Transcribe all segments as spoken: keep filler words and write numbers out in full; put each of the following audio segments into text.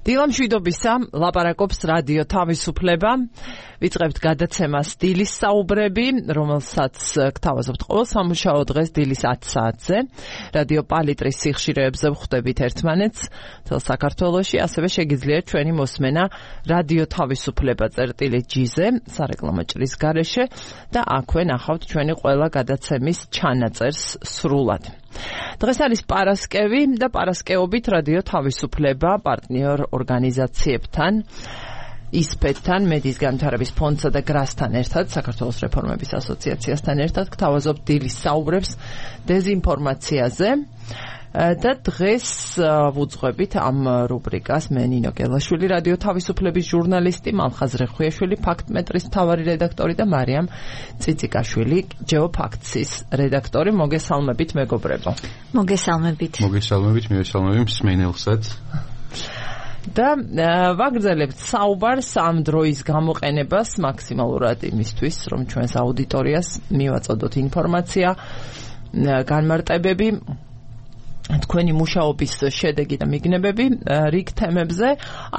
დილამშვიდობისა, ლაპარაკობს რადიო თავისუფლება. ვიწყებთ გადაცემას დილის საუბრები, რომელსაც გთავაზობთ ყოველ სამუშაო დღეს დილის ათი საათზე. რადიო პალიტრის სიხშირეებზე ვხვდებით ერთმანეთს მთელ საქართველოში, ასევე შეგიძლიათ ჩვენი მოსმენა რადიო თავისუფლება წერტილი ჯი-ზე, სარეკლამო ჭრის გარეშე და აქვე ნახავთ ჩვენი ყველა გადაცემის ჩანაწერს სრულად. დღეს არის პარასკევი და პარასკევობით რადიო თავისუფლება პარტნიორ ორგანიზაციებთან, ისპეთთან, მედიის განვითარების ფონდსა და გრასთან ერთად, საქართველოს რეფორმების ასოციაციასთან ერთად გთავაზობთ დილის საუბრებს დეზინფორმაციაზე და დღეს ვუძღვებით ამ რუბრიკას მე ნინო გელაშვილი, რადიო თავისუფლების ჟურნალისტი, მალხაზ რეხვიაშვილი, ფაქტმეტრის მთავარი რედაქტორი და მარიამ ციციკაშვილი, ჯეოფაქტსის რედაქტორი. მოგესალმებით მეგობრებო. მოგესალმებით. მოგესალმებით, მივესალმებით მსმენელსაც. და ვაგრძელებთ საუბარს ამ დროის გამოყენებას მაქსიმალურად იმისთვის, რომ ჩვენს აუდიტორიას მივაწოდოთ ინფორმაცია, განმარტებები, თქვენი მუშაობის შედეგი და მიგნებები რიგ თემებზე.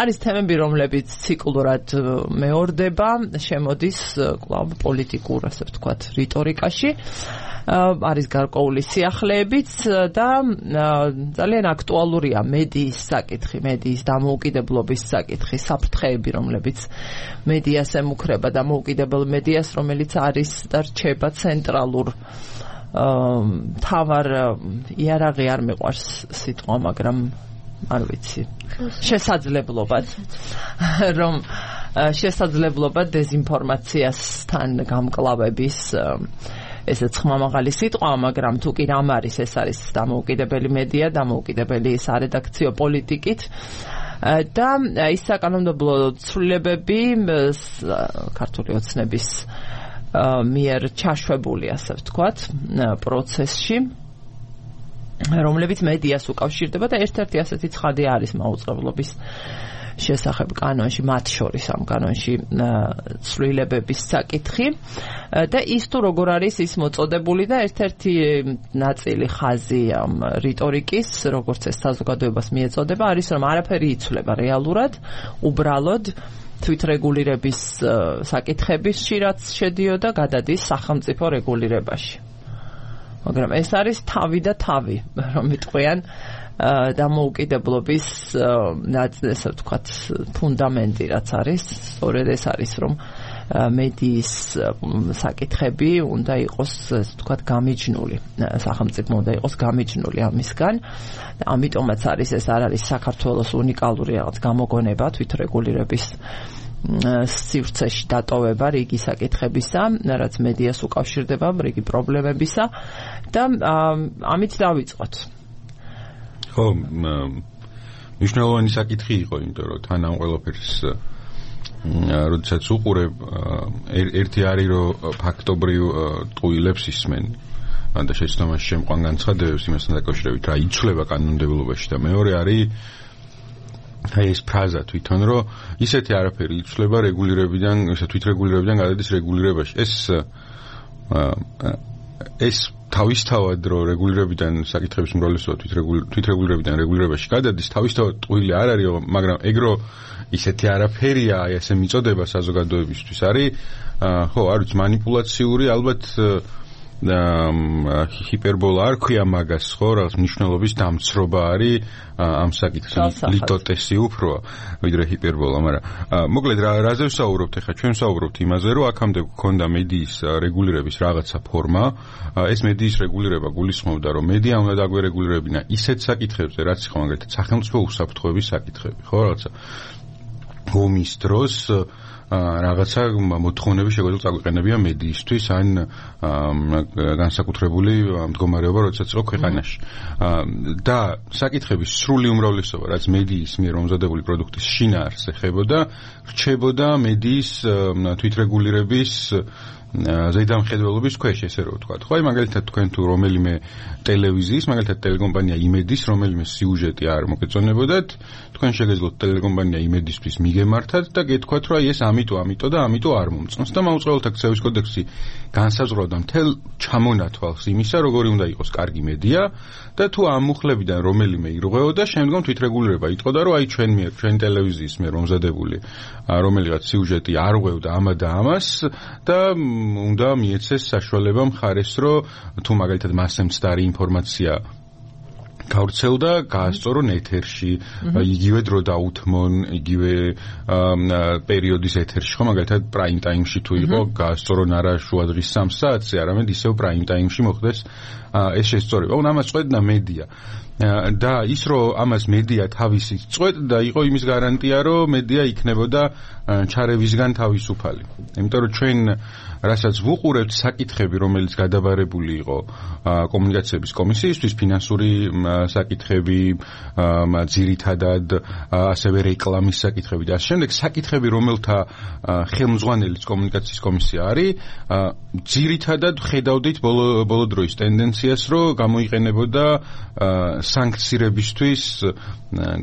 არის თემები, რომლებიც ციკლურად მეორდება, შემოდის კვლავ პოლიტიკურ, ასე ვთქვათ, რიტორიკაში. არის გარკვეული სიახლეებიც და ძალიან აქტუალურია მედიის საკითხი, მედიის დამოუკიდებლობის საკითხი, საფრთხეები, რომლებიც მედიას ემუქრება, დამოუკიდებელ მედიას, რომელიც არის და რჩება ცენტრალურ თავარ იარაღი არ მიყვარს სიტყვა, მაგრამ არ ვიცი, შესაძლებლობად, რომ შესაძლებლობა დეზინფორმაციასთან გამკლავების ესეც ხმამაღალი სიტყვა, მაგრამ თუ კი რამ არის, ეს არის დამოუკიდებელი მედია, დამოუკიდებელი სარედაქციო პოლიტიკით და ის საკანონმდებლო ცვლილებები ქართული ოცნების მიერ ჩაშვებული, ასე ვთქვათ, პროცესში, რომლებიც მედიას უკავშირდება და ერთ-ერთი ასეთი ცხადი არის მაუწყებლობის შესახებ კანონში, მათ შორის ამ კანონში ცვლილებების საკითხი და ის თუ როგორ არის ის მოწოდებული და ერთ-ერთი ნაწილი ხაზი ამ რიტორიკის, როგორც ეს საზოგადოებას მიეწოდება, არის რომ არაფერი იცვლება რეალურად, უბრალოდ თვითრეგულირების საკითხებში, რაც შედიოდა, გადადის სახელმწიფო რეგულირებაში. მაგრამ ეს არის თავი და თავი, რომ იტყვიან დამოუკიდებლობის ასე ვთქვათ, ფუნდამენტი რაც არის, სწორედ ეს არის, რომ მედიის საკითხები უნდა იყოს, ასე ვთქვათ, გამიჯნული, სახელმწიფო უნდა იყოს გამიჯნული ამისგან. ამიტომაც არის ეს არ არის საქართველოს უნიკალური რაღაც გამოგონება თვითრეგულირების სივრცეში დატოვება რიგი საკითხებისა, რაც მედიას უკავშირდება, რიგი პრობლემებისა და ამით დავიწყოთ. ხო, მნიშვნელოვანი საკითხი იყო, იმიტომ რომ თან ამ ყველაფერს როდესაც უყურებ, ერთი არის რომ ფაქტობრივ ტყუილებს ისმენ და შეცდომაში შემყვან განცხადებებს იმასთან დაკავშირებით, რა იცვლება კანონმდებლობაში და მეორე არის აი ეს ფრაზა თვითონ, რომ ისეთი არაფერი იცვლება რეგულირებიდან, ისე თვითრეგულირებიდან გადადის რეგულირებაში. ეს ეს თავისთავად რომ რეგულირებიდან საკითხების უმრავლესობა თვითრეგულირებიდან რეგულირებაში გადადის, თავისთავად ტყუილი არ არის, მაგრამ ეგრო ისეთი არაფერია, აი ესე მიწოდება საზოგადოებისთვის არის, ხო, არ ვიცი, მანიპულაციური, ალბათ ჰიპერბოლა არ ქვია მაგას, ხო, რაღაც მნიშვნელობის დამცრობა არის ამ საკითხში, ლიტოტესი უფროა ვიდრე ჰიპერბოლა, მაგრამ მოკლედ რაზე ვსაუბრობთ ახლა? ჩვენ ვსაუბრობთ იმაზე, რომ აქამდე გქონდა მედიის რეგულირების რაღაცა ფორმა. ეს მედიის რეგულირება გულისხმობდა, რომ მედია უნდა დაგვერეგულირებინა ისეთ საკითხებზე, რაც იყო მაგალითად სახელმწიფო უსაფრთხოების საკითხები, ხო, რაღაცა ომის დროს რაღაცა მოთხოვნები შეგვიძლია წაგვიყენებია მედიისთვის, ან განსაკუთრებული მდგომარეობა, როდესაც იყო ქვეყანაში. და საკითხების სრული უმრავლესობა, რაც მედიის მიერ მომზადებული პროდუქტის შინაარსს ეხებოდა, რჩებოდა მედიის თვითრეგულირების ზედამხედველობის ქვეშ, ესე რომ ვთქვა. ხო, აი მაგალითად თქვენ თუ რომელიმე ტელევიზიის, მაგალითად ტელეკომპანია იმედის რომელიმე სიუჟეტი არ მოგეწონებოდათ, თქვენ შეგეძლოთ ტელეკომპანია იმედისთვის მიგემართათ და გეთქვათ, რომ აი ეს ამიტო, ამიტო და ამიტო არ მომწონს და მაუწყებელთა ქცევის კოდექსი განსაზღვრავდა მთელ ჩამონათვალს იმისა, როგორი უნდა იყოს კარგი მედია და თუ ამ მუხლებიდან რომელიმე ირღვეოდა, შემდგომ თვითრეგულირება იტყოდა, რომ აი ჩვენ მიერ, ჩვენ ტელევიზიის მიერ მომზადებული რომელიღაც სიუჟეტი არ ღვევდა ამა და ამას და უნდა მიეცეს საშუალება მხარეს, რომ თუ მაგალითად მასზე მცდარი ინფორმაცია გავრცელდა, გაასწორონ ეთერში, იგივე დრო დაუთმონ, იგივე პერიოდის ეთერში, ხო, მაგალითად პრაიმ ტაიმში თუ იყო, გაასწორონ არა შუადღის სამ საათზე, არამედ ისევ პრაიმ ტაიმში მოხდეს ეს შესწორება. ანუ ამას წვეთდა მედია. და ის რომ ამას მედია თავისი წვეთდა, იყო იმის გარანტია, რომ მედია იქნებოდა ჩარევისგან თავისუფალი. იმიტომ რომ ჩვენ რასაც ვუყურებთ საკითხები, რომელიც გადაბარებული იყო კომუნიკაციების კომისიისთვის, ფინანსური საკითხები, ძირითადად ასევე რეკლამის საკითხები და ასე შემდეგ, საკითხები, რომელთა ხელმძღვანელიც კომუნიკაციის კომისია არის, ძირითადად ხედავდით ბოლო ბოლო დროის ტენდენციას, რომ გამოიყენებოდა სანქცირებისთვის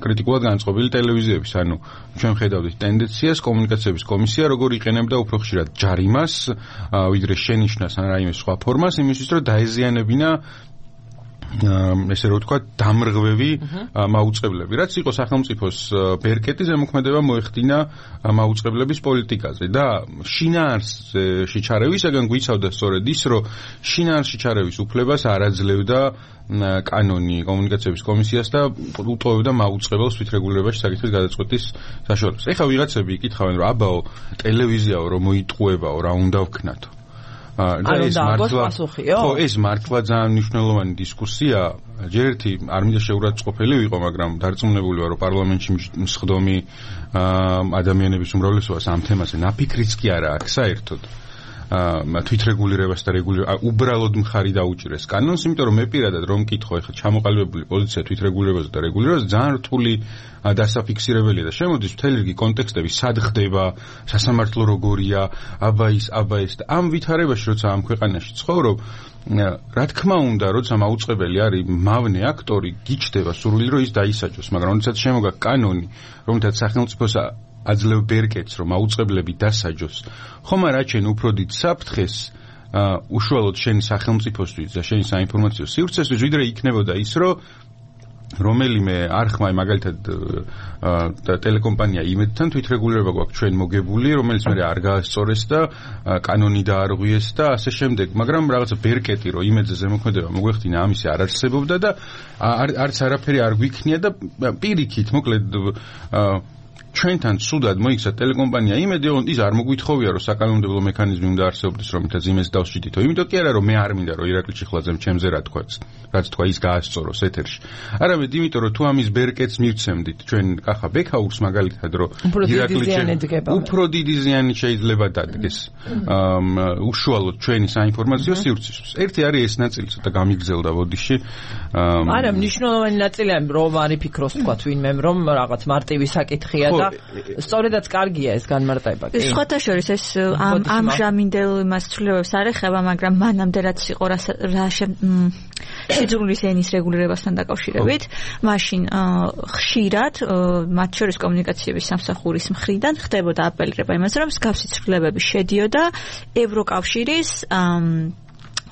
კრიტიკულად განწყობილი ტელევიზიების. ანუ ჩვენ ხედავდით ტენდენციას, კომუნიკაციების კომისია როგორ იყენებდა უფრო ხშირად ჯარიმას, ვიდრე შენიშნას ან რაიმე სხვა ფორმას, იმისთვის რომ დაეზიანებინა ესე რომ ვთქვა დამრღვევი მაუწყებლები. რაც იყო სახელმწიფოს ბერკეტი ზემოქმედება მოეხდინა მაუწყებლების პოლიტიკაზე და შინაარსში ჩარევისაგან გვიცავდა სწორედ ის, რომ შინაარსში ჩარევის უფლებას არ აძლევდა კანონი კომუნიკაციების კომისიას და უტოვებდა მაუწყებელს თვითრეგულირებაში საკითხის გადაწყვეტის საშუალებას. ეხლა ვიღაცები იკითხავენ, რომ აბაო ტელევიზიაო რომ მოიტყუებაო, რა უნდა ვქნათო. და ეს მართლა ხო ეს მართლა ძალიან მნიშვნელოვანი დისკუსია. ჯერ ერთი არ მინდა შეურაცხყოფელი ვიყო, მაგრამ დარწმუნებული ვარ, რომ პარლამენტში მსხდომი ადამიანების უმრავლესობას ამ თემაზე ნაფიქრიც კი არა აქვს საერთოდ. თვითრეგულირებას და რეგულირებას უბრალოდ მხარი დაუჭირეს კანონს, იმიტომ რომ მე პირადად რომ მკითხო, ეხლა ჩამოყალიბებული პოზიცია თვითრეგულირებაზე და რეგულირებაზე ძალიან რთული დასაფიქსირებელია და შემოდის მთელი რიგი კონტექსტები, სად ხდება, სასამართლო როგორია, აბა ის, აბა ეს და ამ ვითარებაში, როცა ამ ქვეყანაში ცხოვრობ, რა თქმა უნდა, როცა მაუწყებელი არის მავნე აქტორი, გიჩდება სურვილი, რომ ის დაისაჯოს, მაგრამ როდესაც შემოგაქვს კანონი, რომელთაც სახელმწიფოს აძლევ ბერკეტს, რომ მაუწყებლები დასაჯოს, ხომ არა ჩვენ უფრო დიდ საფრთხეს უშუალოდ შენი სახელმწიფოსთვის და შენი საინფორმაციო სივრცესთვის, ვიდრე იქნებოდა ის, რომ რომელიმე არხმა, მაგალითად ტელეკომპანია იმედთან თვითრეგულირება გვაქვს ჩვენ მოგებული, რომელიც მე არ გაასწორეს და კანონი დაარღვიეს და ასე შემდეგ, მაგრამ რაღაცა ბერკეტი, რომ იმედზე ზემოქმედება მოგვეხდინა, ამისი არ არსებობდა და არც არაფერი არ გვიქნია და პირიქით, მოკლედ ჩვენთან სუდად მოიქცა ტელეკომპანია იმედი, რომ ის არ მოგვითხოვია, რომ საკანონმდებლო მექანიზმი უნდა არსებობდეს, რომლითაც იმედს დავსჯიდითო. იმიტომ კი არა, რომ მე არ მინდა, რომ ირაკლი ჩიხლაძემ ჩემზე რა თქვაც, რაც თქვა ის გაასწოროს ეთერში. არამედ იმიტომ, რომ თუ ამის ბერკეტს მივცემდით, ჩვენ კახა ბექაურს მაგალითად, რომ ირაკლი უფრო დიდი ზიანი შეიძლება დადგეს უშუალოდ ჩვენი საინფორმაციო სივრცისთვის. ერთი არის ეს ნაწილი, ცოტა გამიგზელდა ბოდიში. არა, მნიშვნელოვანი ნაწილია, რომ არ იფიქროს თქვა ვინმემ, რომ რაღაც მარტივი საკითხია და სწორედაც კარგია ეს განმარტება. კი. სხვათა შორის ეს ამ ამჟამინდელ იმას ცვლილებებს არ ეხება, მაგრამ მანამდე რაც იყო რა შეძრულის ენის რეგულირებასთან დაკავშირებით, მაშინ ხშირად მათ შორის კომუნიკაციების სამსახურის მხრიდან ხდებოდა აპელირება იმაზე, რომ მსგავსი ცვლილებები შედიოდა ევროკავშირის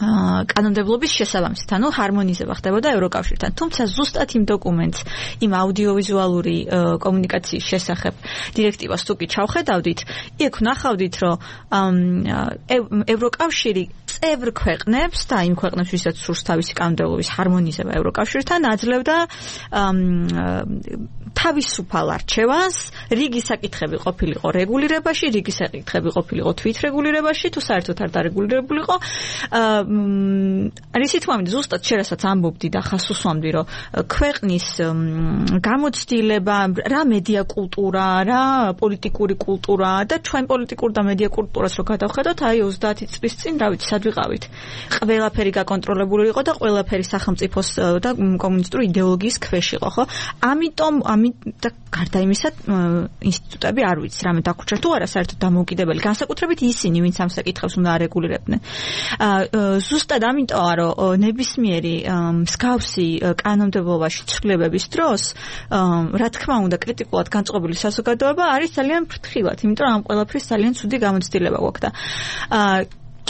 კანონმდებლობის შესაბამისად, ანუ ჰარმონიზება ხდებოდა ევროკავშირთან. თუმცა ზუსტად იმ დოკუმენტს, იმ აუდიოვიზუალური კომუნიკაციის შესახებ დირექტივას თუ კი ჩავხედავდით, იქ ვნახავდით, რომ ევროკავშირი წევრ ქვეყნებს და იმ ქვეყნებს, ვისაც სურს თავისი კანონმდებლობის ჰარმონიზება ევროკავშირთან, აძლევდა თავისუფალ არჩევანს, რიგი საკითხები ყოფილიყო რეგულირებაში, რიგი საკითხები ყოფილიყო თვითრეგულირებაში, თუ საერთოდ არ დარეგულირებულიყო. არის თქმა უნდა, ზუსტად შერასაც ამბობდი და ხას უსვამდი, რომ ქვეყნის გამოცდილება, რა მედია კულტურა, რა პოლიტიკური კულტურა და ჩვენ პოლიტიკურ და მედია კულტურას რო გადავხედოთ, აი ოცდაათი წლის წინ, რა ვიცი, სად ვიყავით. ყველაფერი გაკონტროლებული იყო და ყველაფერი სახელმწიფოს და კომუნისტური იდეოლოგიის ქვეშ იყო, ხო? ამიტომ ამით და გარდა იმისა ინსტიტუტები არ ვიცი რამე დაგვრჩა თუ არა საერთოდ დამოუკიდებელი განსაკუთრებით ისინი ვინც ამ საკითხებს უნდა არეგულირებდნენ ზუსტად ამიტომა რომ ნებისმიერი მსგავსი კანონმდებლობაში ცვლილებების დროს რა თქმა უნდა კრიტიკულად განწყობილი საზოგადოება არის ძალიან ფრთხილად იმიტომ რომ ამ ყველაფრის ძალიან ცუდი გამოცდილება გვაქვს და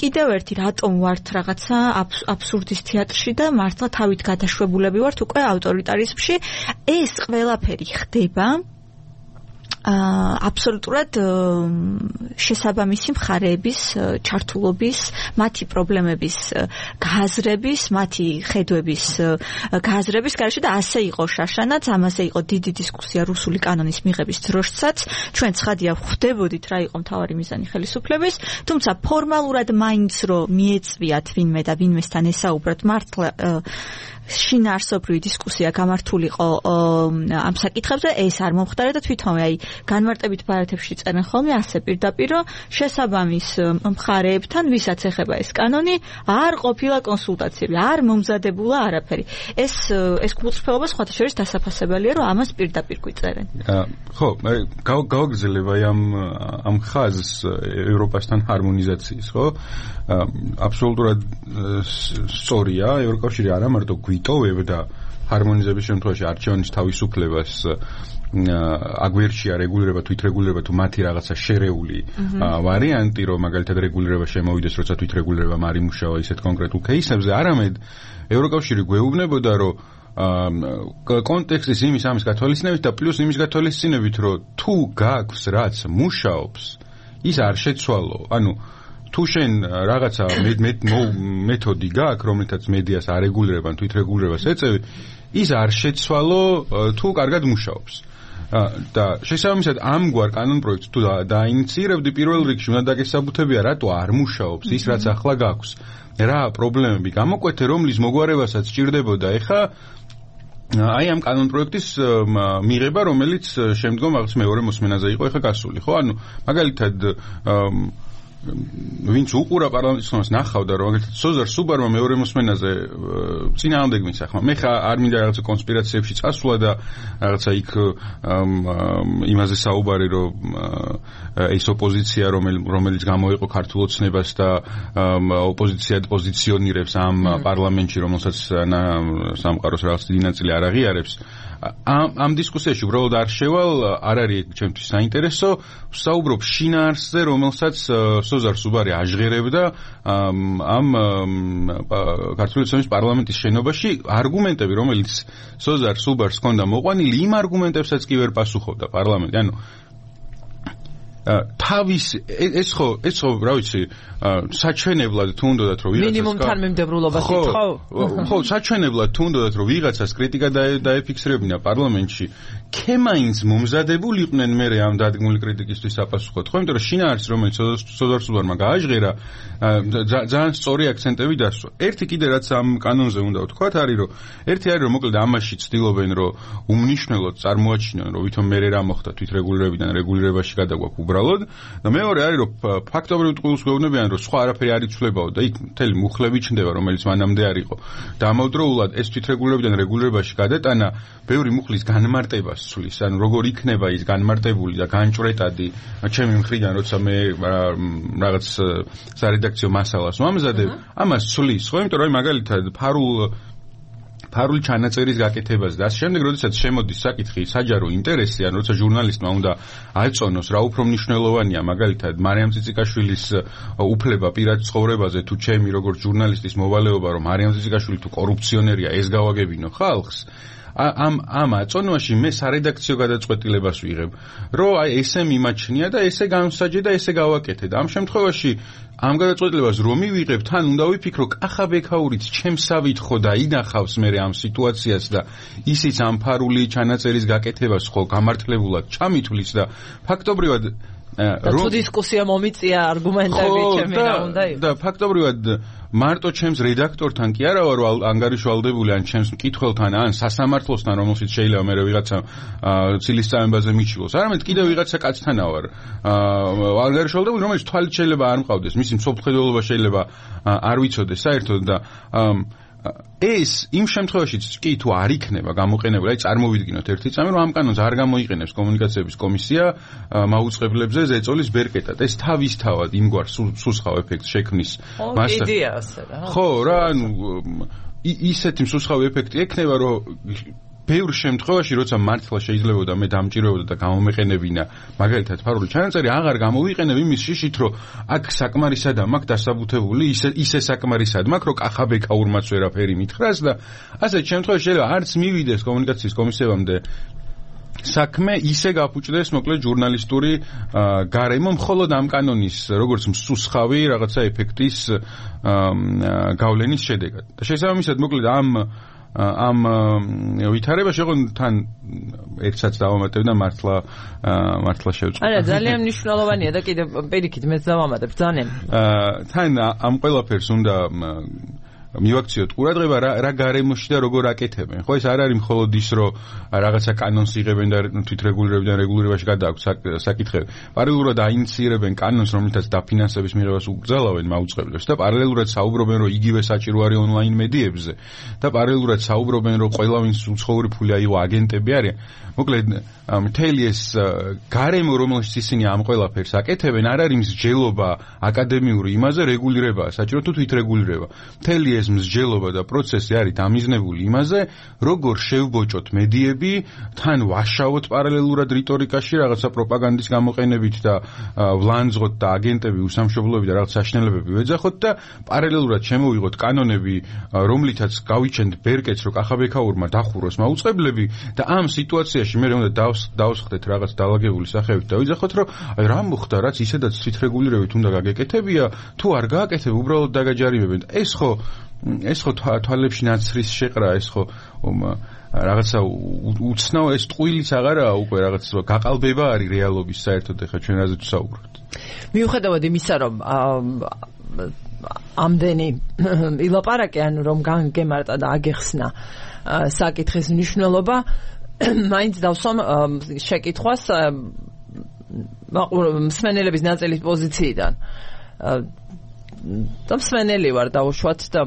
კიდევ ერთი რატომ ვართ რაღაცა აბსურდის თეატრში და მართლა თავით გადაშვებულები ვართ უკვე ავტორიტარიზმში ეს ყველაფერი ხდება აბსოლუტურად შესაბამისი მხარეების ჩართულობის, მათი პრობლემების გააზრების, მათი ხედვების გააზრების გარეშე და ასე იყო შაშანაც, ამაზე იყო დიდი დისკუსია რუსული კანონის მიღების დროშსაც. ჩვენ ცხადია ხვდებოდით რა იყო მთავარი მიზანი ხელისუფლების, თუმცა ფორმალურად მაინც რომ მიეწვიათ ვინმე და ვინმესთან ესაუბროთ მართლა შინაარსობრივი დისკუსია გამართულიყო ამ საკითხებზე, ეს არ მომხდარა და თვითონვე აი განმარტებით ბარათებში წერენ ხოლმე ასე პირდაპირ რომ შესაბამის მხარეებთან, ვისაც ეხება ეს კანონი, არ ყოფილა კონსულტაციები, არ მომზადებულა არაფერი. ეს ეს გულწრფელობა სხვათა შორის დასაფასებელია, რომ ამას პირდაპირ გვიწერენ. ხო, გავაგრძელებ აი ამ ამ ხაზს ევროპასთან ჰარმონიზაციის, ხო? აბსოლუტურად სწორია, ევროკავშირი არა მარტო გვიტოვებდა ჰარმონიზების შემთხვევაში არჩევანის თავისუფლებას აგვერჩია რეგულირება თუ ითრეგულირება თუ მათი რაღაცა შერეული ვარიანტი რომ მაგალითად რეგულირება შემოვიდეს როცა თუ ითრეგულირება არ იმუშავა ისეთ კონკრეტულ кейსებზე არამედ ევროკავშირი გვეუბნებოდა რომ კონტექსტის იმის ამის გათვალისწინებით და პლუს იმის გათვალისწინებით რომ თუ გაქვს რაც მუშაობს ის არ შეცვალო ანუ თუ შენ რაღაცა მეთოდი გაქვს რომელთაც მედიას არეგულირებან თუ ითრეგულირებას ეწევი ის არ შეცვალო თუ კარგად მუშაობს და შესაბამისად ამგვარ კანონპროექტს თუ დაინიციირებდი პირველ რიგში უნდა დაგესაბუთებია რატო არ მუშაობს ის რაც ახლა გაქვს რა პრობლემები გამოკვეთე რომლის მოგვარებასაც სჭირდებოდა ეხა აი ამ კანონპროექტის მიღება რომელიც შემდგომ რაღაც მეორე მოსმენაზე იყო ეხა გასული ხო ანუ მაგალითად ვინც უყურა პარლამენტის ხმას ნახავდა რომ მაგალითად სოზარ სუბარმა მეორე მოსმენაზე წინააღმდეგ მისახმა მე ხა არ მინდა რაღაცა კონსპირაციებში წასვლა და რაღაცა იქ იმაზე საუბარი რომ ეს ოპოზიცია რომელიც გამოიყო ქართულ ოცნებას და ოპოზიციად პოზიციონირებს ამ პარლამენტში რომელსაც სამყაროს რაღაც დიდი ნაწილი არ აღიარებს ამ ამ დისკუსიაში უბრალოდ არ შევალ არ არის ჩემთვის საინტერესო საუბრობ შინაარსზე რომელსაც სოზარ სუბარი აჟღერებდა ამ ქართული ოცნების პარლამენტის შენობაში არგუმენტები რომელიც სოზარ სუბარს ჰქონდა მოყვანილი იმ არგუმენტებსაც კი ვერ პასუხობდა პარლამენტი ანუ თავის ეს ხო ეს ხო რა ვიცი საჩვენებლად თუ უნდათ რომ ვიღაცას მინიმუმ თანმიმდევრულობას ითხოვ ხო საჩვენებლად თუ უნდათ რომ ვიღაცას კრიტიკა დაეფიქსირებინა პარლამენტში ქემაინც მომზადებულიყვნენ მე ამ დადგმული კრიტიკისთვის საპასუხოდ ხო იმიტომ რომ შინაარსი რომელიც სოზარ სუბარმა გააჟღერა ძალიან სწორი აქცენტები დასვა ერთი კიდე რაც ამ კანონზე უნდა ვთქვათ არის რომ ერთი არის რომ მოკლედ ამაში ცდილობენ რომ უმნიშვნელოდ წარმოაჩინონ რომ ვითომ მე რა მოხდა თვითრეგულირებიდან რეგულირებაში გადაგვაქვს უბრალოდ და მეორე არის რომ ფაქტობრივ ტყუილს გვეუბნებიან რომ სხვა არაფერი არ იცვლებაო და იქ მთელი მუხლები ჩნდება რომელიც მანამდე არ იყო დამავდროულად ეს თვითრეგულირებიდან რეგულირებაში გადატანა ბევრი მუხლის განმარტებას ცვლის ანუ როგორ იქნება ის განმარტებული და განჭრეტადი ჩემი მხრიდან როცა მე რაღაც სარედაქციო მასალას ვამზადებ ამას ცვლის ხო იმიტომ რომ მაგალითად ფარულ ფარული ჩანაწერის გაკეთებას და ამ შემდეგ როდესაც შემოდის საკითხი საჯარო ინტერესი ან როცა ჟურნალისტმა უნდა აეწონოს რა უფრო მნიშვნელოვანია მაგალითად მარიამ ციციკაშვილის უფლება პირად ცხოვრებაზე თუ ჩემი როგორც ჟურნალისტის მოვალეობა რომ მარიამ ციციკაშვილი თუ კორუფციონერია ეს გავაგებინო ხალხს ამ ამ აწონვაში მე სარედაქციო გადაწყვეტილებას ვიღებ რომ აი ესე მიმაჩნია და ესე განსაჯე და ესე გავაკეთე და ამ შემთხვევაში ამ გადაწყვეტილებას რომ მივიღებ თან უნდა ვიფიქრო კახა ბექაურიც ჩემსავით ხო და ინახავს მე ამ სიტუაციას და ისიც ამ ფარული ჩანაწერის გაკეთებას ხო გამართლებულად ჩამითვლის და ფაქტობრივად რო დისკუსია მომიწია არგუმენტები ჩემი რა უნდა იყოს და ფაქტობრივად მარტო ჩემს რედაქტორთან კი არა ვარ ანგარიშვალდებული ან ჩემს მკითხველთან ან სასამართლოსთან რომელშიც შეიძლება მე ვიღაცა ცილისწამებაზე მიჩილოს არამედ კიდევ ვიღაცა კაცთანა ვარ ანგარიშვალდებული რომელიც თვალით შეიძლება არ მყავდეს მისი მსოფლმხედველობა შეიძლება არ ვიცოდეს საერთოდ და ეს იმ შემთხვევაშიც კი თუ არ იქნება გამოყენებული, აი წარმოვიდგინოთ ერთი წამი, რომ ამ კანონს არ გამოიყენებს კომუნიკაციების კომისია მაუწყებლებზე ზეწოლის ბერკეტად. ეს თავისთავად იმგვარ სუსხავ ეფექტს შექმნის მასა. იდეა ასე რა. ხო, რა, ანუ ისეთი მსუსხავი ეფექტი ექნება, რომ ბევრ შემთხვევაში, როცა მართლა შეიძლებოდა მე დამჭირებოდა და გამომეყენებინა, მაგალითად ფარული ჩანაწერი აღარ გამოვიყენებ იმის შიშით, რომ აქ საკმარისად მაქვს დასაბუთებული, ისე ისე საკმარისად მაქვს, რომ კახაბექაურმაც ვერაფერი მითხრას და ასეთ შემთხვევაში შეიძლება არც მივიდეს კომუნიკაციის კომისიამდე საქმე ისე გაფუჭდეს მოკლედ ჟურნალისტური გარემო მხოლოდ ამ კანონის როგორც მსუსხავი რაღაცა ეფექტის გავლენის შედეგად. და შესაბამისად მოკლედ ამ ამ ვითარებაში ხო თან ერთსაც დავამატებ და მართლა მართლა შევწყვეტ. არა, ძალიან მნიშვნელოვანია და კიდე პირიქით მეც დავამატებ ძალიან. თან ამ ყველაფერს უნდა მივაქციოთ ყურადღება რა რა გარემოში და როგორ აკეთებენ. ხო ეს არ არის მხოლოდ ის რომ რაღაცა კანონს იღებენ და თვითრეგულირებიდან რეგულირებაში გადააქვს საკითხები. პარალელურად აინიციირებენ კანონს, რომლითაც დაფინანსების მიღებას უკრძალავენ მაუწყებლებს და პარალელურად საუბრობენ რომ იგივე საჭირო არის ონლაინ მედიებზე და პარალელურად საუბრობენ რომ ყველა ვინც უცხოური ფული აიღო აგენტები არიან. მოკლედ მთელი ეს გარემო რომელშიც ისინი ამ ყველაფერს აკეთებენ არ არის მსჯელობა აკადემიური იმაზე რეგულირებაა საჭირო თუ თვითრეგულირება. მთელი ეს მსჯელობა და პროცესი არის დამიზნებული იმაზე, როგორ შევბოჭოთ მედიები, თან ვაშავოთ პარალელურად რიტორიკაში რაღაცა პროპაგანდის გამოყენებით და ვლანძღოთ და აგენტები უსამშობლოები და რაღაც საშინელებები ვეძახოთ და პარალელურად შემოვიღოთ კანონები, რომლითაც გავიჩენთ ბერკეტს, რომ კახაბექაურმა დახუროს მაუწყებლები და ამ სიტუაციაში მე უნდა დავსხდეთ რაღაც დაალაგებული სახევით და ვიძახოთ, რომ აი რა მოხდა, რაც ისედაც თვითრეგულირებით უნდა გაგეკეთებია, თუ არ გააკეთებ, უბრალოდ დაგაჯარიმებენ. ეს ხო ეს ხო თვალებში ნაცრის შეყრა, ეს ხო რაღაცა უცნაო ეს ტყუილიც აღარაა უკვე რაღაც გაყალბება არის რეალობის საერთოდ ეხლა ჩვენ რაზე თუ საუბრობთ. მიუხედავად იმისა, რომ ამდენი ილაპარაკე, ანუ რომ განგემარტა და აგეხსნა საკითხის მნიშვნელობა, მაინც დავსვამ შეკითხვას მსმენელების ნაწილის პოზიციიდან. და მსმენელი ვარ დაუშვათ და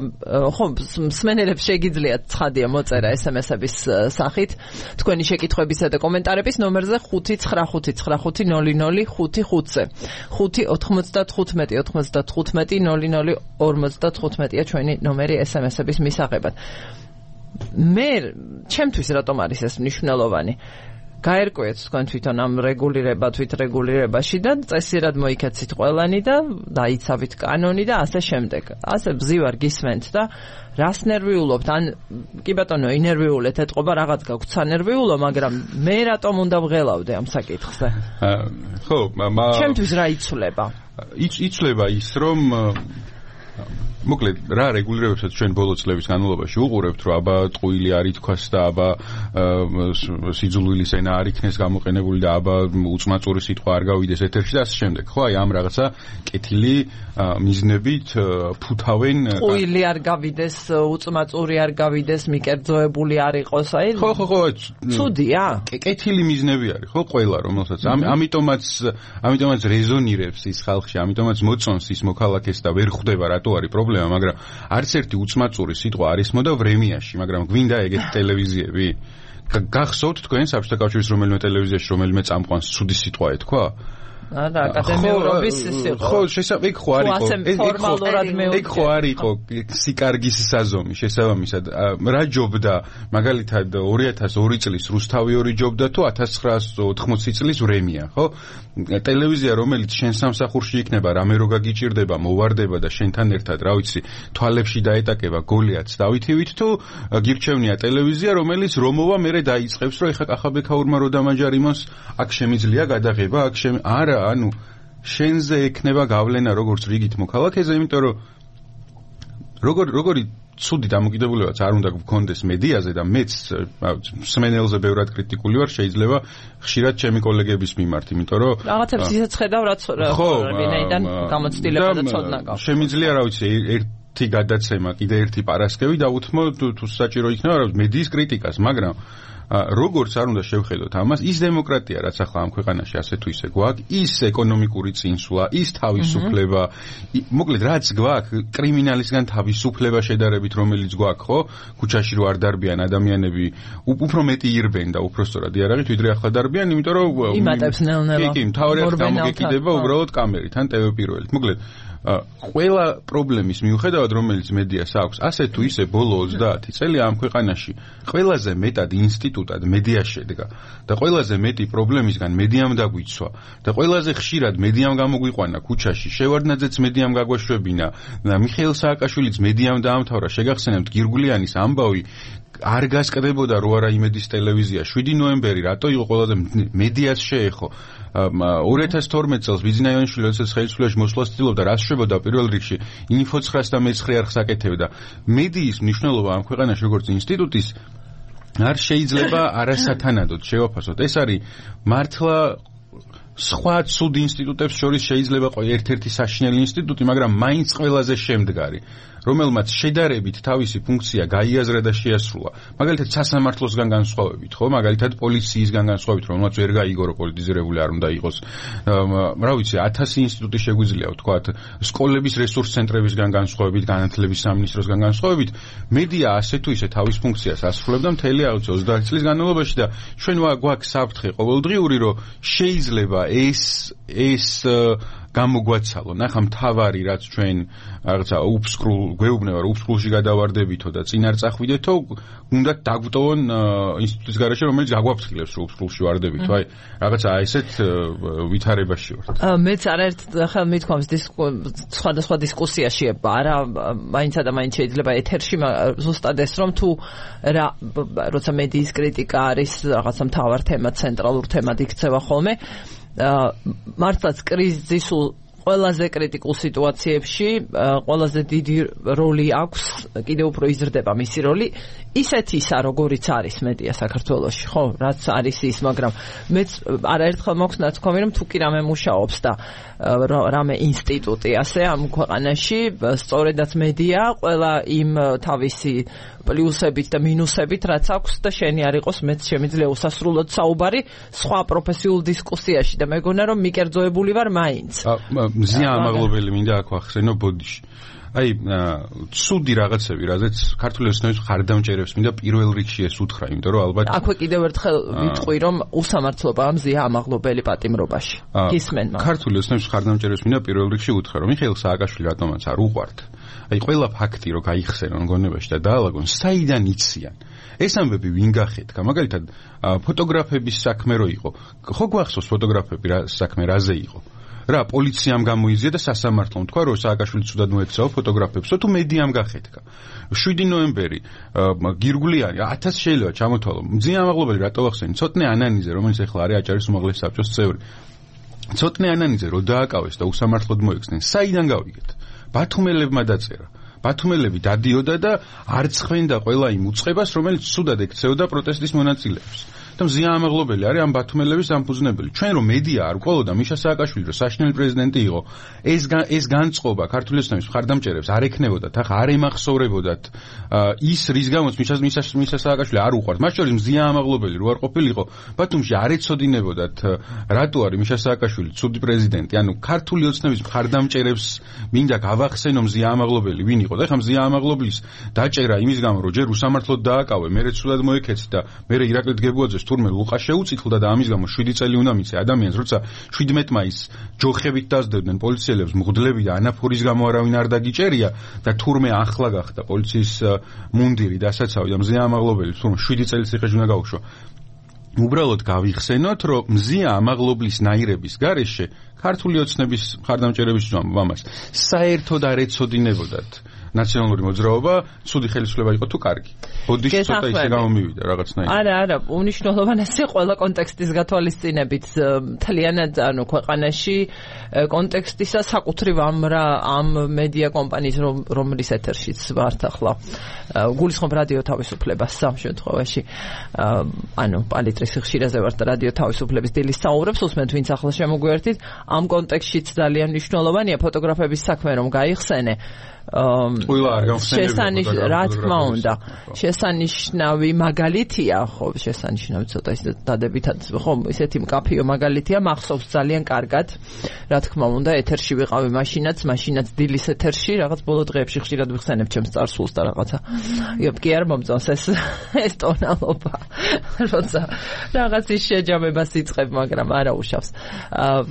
ხო მსმენელებს შეგიძლიათ ცხადია მოწერა ესემესების სახით თქვენი შეკითხვებისა და კომენტარების ნომერზე ხუთი ცხრა ხუთი ცხრა ხუთი ნული ნული ხუთი ხუთზე ხუთი ოთხმოცდათხუთმეტი ოთხმოცდათხუთმეტი ნული ნული ორმოცდათხუთმეტია ჩვენი ნომერი ესემესების მისაღებად. მე ჩემთვის რატომ არის ეს მნიშვნელოვანი? გაერკვიეთ თქვენ თვითონ ამ რეგულირება თვითრეგულირებაში და წესიერად მოიქეცით ყველანი და დაიცავით კანონი და ასე შემდეგ. ასე ბზივარ გისმენთ და რას ნერვიულობთ? ან კი ბატონო, ინერვიულეთ, ეთყობა რაღაც გაქვთ სანერვიულო, მაგრამ მე რატომ უნდა ვღელავდე ამ საკითხზე? ხო, ჩემთვის რა იცვლება? იცვლება ის, რომ მოკლედ რა რეგულირებებსაც ჩვენ ბოლო წლების განმავლობაში უყურებთ, რომ აბა ტყუილი არ ითქვას და აბა სიძულვილის ენა არ იქნეს გამოყენებული და აბა უწმაწური სიტყვა არ გავიდეს ეთერში და ასე შემდეგ. ხო, აი ამ რაღაცა კეთილი მიზნებით ფუთავენ. ტყუილი არ გავიდეს, უწმაწური არ გავიდეს, მიკერძოებული არ იყოს, აი. ხო, ხო, ხო. ცუდია. კეთილი მიზნები არის, ხო, ყველა რომელსაც. ამიტომაც ამიტომაც რეზონირებს ის ხალხში, ამიტომაც მოწონს ის მოქალაქეს და ვერ ხვდება რატო არის პრობლემა. მაგრამ არც ერთი უწმაწური სიტყვა არ ისმოდა ვრემიაში, მაგრამ გვინდა ეგეთი ტელევიზიები? გახსოვთ თქვენ საბჭოთა კავშირის რომელიმე ტელევიზიაში რომელიმე წამყვანს ცუდი სიტყვა ეთქვა? არა, აკადემიურობის ის იყო. ხო, შესაძლოა ეგ ხო არ იყო. ეგ ხო არ იყო სიკარგის საზომი, შესაბამისად. რა ჯობდა, მაგალითად ორი ათას ორი წლის რუსთავი ორი ჯობდა თუ ათას ცხრაასი ოთხმოცი წლის ვრემია, ხო? ტელევიზია, რომელიც შენ სამსახურში იქნება, რამე რო გაგიჭირდება, მოვარდება და შენთან ერთად, რა ვიცი, თვალებში დაეტაკება გოლიათს დავითივით თუ გირჩევნია ტელევიზია, რომელიც რომოვა მერე დაიწყებს, რომ ეხა კახაბექაურმა რო დამაჯარიმოს, აქ შემიძლია გადაღება, აქ შემ არა, ანუ შენზე ექნება გავლენა როგორც რიგით მოქალაქეზე, იმიტომ რომ როგორ როგორი ცუდი დამოკიდებულებაც არ უნდა გქონდეს მედიაზე და მეც მსმენელზე ბევრად კრიტიკული ვარ, შეიძლება ხშირად ჩემი კოლეგების მიმართ, იმიტომ რომ რაღაცებს ისაც ხედავ, რაც ვინაიდან გამოცდილება და ცოდნა გაქვს. შემიძლია, რა ვიცი, ერთი გადაცემა, კიდე ერთი პარასკევი დავუთმო თუ საჭირო იქნება მედიის კრიტიკას, მაგრამ როგორც არ უნდა შევხედოთ ამას, ის დემოკრატია, რაც ახლა ამ ქვეყანაში ასე თუ ისე გვაქვს, ის ეკონომიკური წინსვლა, ის თავისუფლება, მოკლედ რაც გვაქვს, კრიმინალისგან თავისუფლება შედარებით, რომელიც გვაქვს, ხო? ქუჩაში რო არ დარბიან ადამიანები, უფრო მეტი ირბენ და უფრო სწორად იარაღით, ვიდრე ახლა დარბიან, იმიტომ რომ იმატებს ნელ-ნელა. კი, მთავარი აქ გამოგეკიდება უბრალოდ კამერით, ან ტევ პირველით. მოკლედ ყველა პრობლემის მიუხედავად, რომელიც მედიას აქვს, ასე თუ ისე ბოლო ოცდაათი წელი ამ ქვეყანაში ყველაზე მეტად ინსტიტუტად მედია შედგა და ყველაზე მეტი პრობლემისგან მედიამ დაგვიცვა და ყველაზე ხშირად მედიამ გამოგვიყვანა ქუჩაში, შევარდნაძეც მედიამ გაგვაშვებინა და მიხეილ სააკაშვილიც მედიამ დაამთავრა. შეგახსენებთ გირგულიანის ამბავი არ გასკდებოდა რო არა იმედის ტელევიზია. შვიდი ნოემბერი რატო იყო ყველაზე მედიას შეეხო? ორი ათას თორმეტ წელს ბიძინაიანიშვილი როდესაც ხელისუფლებაში მოსვლას ცდილობდა, რა შეშებოდა პირველ რიგში ინფო ცხრას და მეცხრე არხს აკეთებდა. მედიის მნიშვნელობა ამ ქვეყანაში როგორც ინსტიტუტის არ შეიძლება არასათანადოდ შევაფასოთ. ეს არის მართლა სხვა ცუდ ინსტიტუტებს შორის შეიძლება ერთ-ერთი საშინელი ინსტიტუტი, მაგრამ მაინც ყველაზე შემდგარი, რომელმაც შედარებით თავისი ფუნქცია გაიაზრა და შეასრულა. მაგალითად სასამართლოსგან განსხვავებით, ხო? მაგალითად პოლიციისგან განსხვავებით, რომელმაც ვერ გაიგო, რომ პოლიტიზირებული არ უნდა იყოს. რა ვიცი, ათასი ინსტიტუტი შეგვიძლია ვთქვათ, სკოლების რესურს ცენტრებისგან განსხვავებით, განათლების სამინისტროსგან განსხვავებით, მედია ასე თუ ისე თავის ფუნქციას ასრულებდა მთელი აღწევ ოცდაათი წლის განმავლობაში და ჩვენ გვაქვს საფრთხე ყოველდღიური, რომ შეიძლება ეს ეს გამოგვაცალონ. ახლა მთავარი რაც ჩვენ რაღაცა უფსკრულ გვეუბნება, რომ უფსკრულში გადავარდებითო და წინ არ წახვიდეთო, უნდა დაგვტოვონ ინსტიტუტის გარეშე, რომელიც გაგვაფრთხილებს, რომ უფსკრულში ვარდებითო. აი, რაღაცა ესეთ ვითარებაში ვართ. მეც არაერთ ხელ მithქვამს სხვადასხვა დისკუსიაში, არა, მაინც და მაინც შეიძლება ეთერში ზუსტად ეს რომ თუ რა როცა მედიის კრიტიკა არის რაღაცა მთავარ თემა, ცენტრალურ თემად იქცევა ხოლმე, მართლაც კრიზისულ ყველაზე კრიტიკულ სიტუაციებში ყველაზე დიდი როლი აქვს, კიდევ უფრო იზრდება მისი როლი, ისეთ ისა, როგორიც არის მედია საქართველოში, ხო, რაც არის ის, მაგრამ მეც არაერთხელ მაქვს ნაცნობი, რომ თუ კი რამე მუშაობს და რამე ინსტიტუტი ასე ამ ქვეყანაში, სწორედაც მედია ყველა იმ თავისი პლუსებით და მინუსებით, რაც აქვს და შენი არ იყოს, მეც შემიძლია უსასრულოდ საუბარი სხვა პროფესიულ დისკუსიაში და მეგონა რომ მიკერძოებული ვარ მაინც. მზია ამაღლობელი მინდა აქ ვახსენო ბოდიში. აი, ცუდი რაღაცები, რაზეც ქართული ოცნების მხარდამჭერებს მინდა პირველ რიგში ეს უთხრა, იმიტომ რომ ალბათ აქვე კიდევ ერთხელ ვიტყვი, რომ უსამართლობაა მზია ამაღლობელი პატიმრობაში. გისმენ მას. ქართული ოცნების მხარდამჭერებს მინდა პირველ რიგში უთხრა, რომ მიხეილ სააკაშვილი რატომაც არ უყვართ. აი, ყველა ფაქტი რო გაიხსენონ გონებაში და დაალაგონ, საიდან იციან? ეს ამბები ვინ გახეთქა? მაგალითად, ფოტოგრაფების საქმე რო იყო. ხო გვახსოვს ფოტოგრაფები რა საქმე რაზე იყო? რა პოლიციამ გამოიზია და სასამართლომ თქვა, რომ სააკაშვილი ცუდად მოექცევა ფოტოგრაფებსო, თუ მედიამ გახეთქა. შვიდი ნოემბერი გირგულიანი ათას შეიძლება ჩამოთვალო. მძიმე ამაღლობელი რატო ვახსენე? ცოტნე ანანიძე, რომელიც ახლა არის აჭარის უმაღლესი საბჭოს წევრი. ცოტნე ანანიძე რო დააკავეს და უსამართლოდ მოექცნენ, საიდან გავიგეთ? ბათუმელებმა დაწერა. ბათუმელები დადიოდა და არ წხვენდა ყველა იმ უწყებას, რომელიც ცუდად ექცეოდა პროტესტის მონაწილეებს. და მზია ამაღლობელი არის ამ ბათუმელების დამფუძნებელი. ჩვენ რომ მედია არ ყოლოდა მიშა სააკაშვილი რომ საშინელი პრეზიდენტი იყო, ეს ეს განწყობა ქართული ოცნების მხარდამჭერებს არ ექნებოდათ, ახლა არ ემახსოვრებოდათ ის რის გამოც მიშა მიშა სააკაშვილი არ უყვართ. მათ შორის მზია ამაღლობელი რო არ ყოფილიყო, ბათუმში არ ეცოდინებოდათ რატო არის მიშა სააკაშვილი ცუდი პრეზიდენტი. ანუ ქართული ოცნების მხარდამჭერებს მინდა გავახსენო მზია ამაღლობელი ვინ იყო. და ახლა მზია ამაღლობლის დაჭერა იმის გამო რომ ჯერ უსამართლოდ დააკავე, მერე ცუდად მოექეცი და მერე ირაკლი დგებუაძე თურმე ლუყა შეუწითლდა და ამის გამო შვიდი წელი უნდა მიცე ადამიანს, როცა შვიდმეტ მაისს ჯოხებით დაძდებდნენ პოლიციელებს მღვდლები და ანაფორის გამო არავინ არ დაგიჭერია და თურმე ახლა გახდა პოლიციის მუნდირი დასაცავი და მზია ამაღლობელი თურმე შვიდი წელი ციხეში უნდა გაუშვა. უბრალოდ გავიხსენოთ, რომ მზია ამაღლობლის ნაირების გარეშე ქართული ოცნების მხარდამჭერების ამას საერთოდ არ ეცოდინებოდათ ნაციონალური მოძრაობა, ცუდი ხელისუფლება იყო თუ კარგი. ბოდიში ცოტა ისე გამომივიდა რაღაცნაირად. არა, არა, უნიშნულოვანესი ყველა კონტექსტის გათვალისწინებით მთლიანად ანუ ქვეყანაში კონტექსტისა საკუთრივ ამ რა ამ მედია კომპანიის რომლის ეთერშიც ვართ ახლა. გულისხმობ რადიო თავისუფლებას სამ შემთხვევაში. ანუ პალიტრის ხშირაზე ვართ რადიო თავისუფლების დილის საუბრებს უსმენთ, ვინც ახლა შემოგვიერთით. ამ კონტექსტშიც ძალიან მნიშვნელოვანია ფოტოგრაფების საქმე რომ გაიხსენე. ყველა არ გამხსენებია რა თქმა უნდა შესანიშნავი მაგალითია ხო შესანიშნავი ცოტა ის დადებითად ხო ისეთი მკაფიო მაგალითია მახსოვს ძალიან კარგად რა თქმა უნდა ეთერში ვიყავი მაშინაც მაშინაც დილის ეთერში რაღაც ბოლო დღეებში ხშირად ვიხსენებ ჩემს წარსულს და რაღაცა კი არ მომწონს ეს ეს ტონალობა როცა რაღაც ის შეჯამებას იწყებ მაგრამ არა უშავს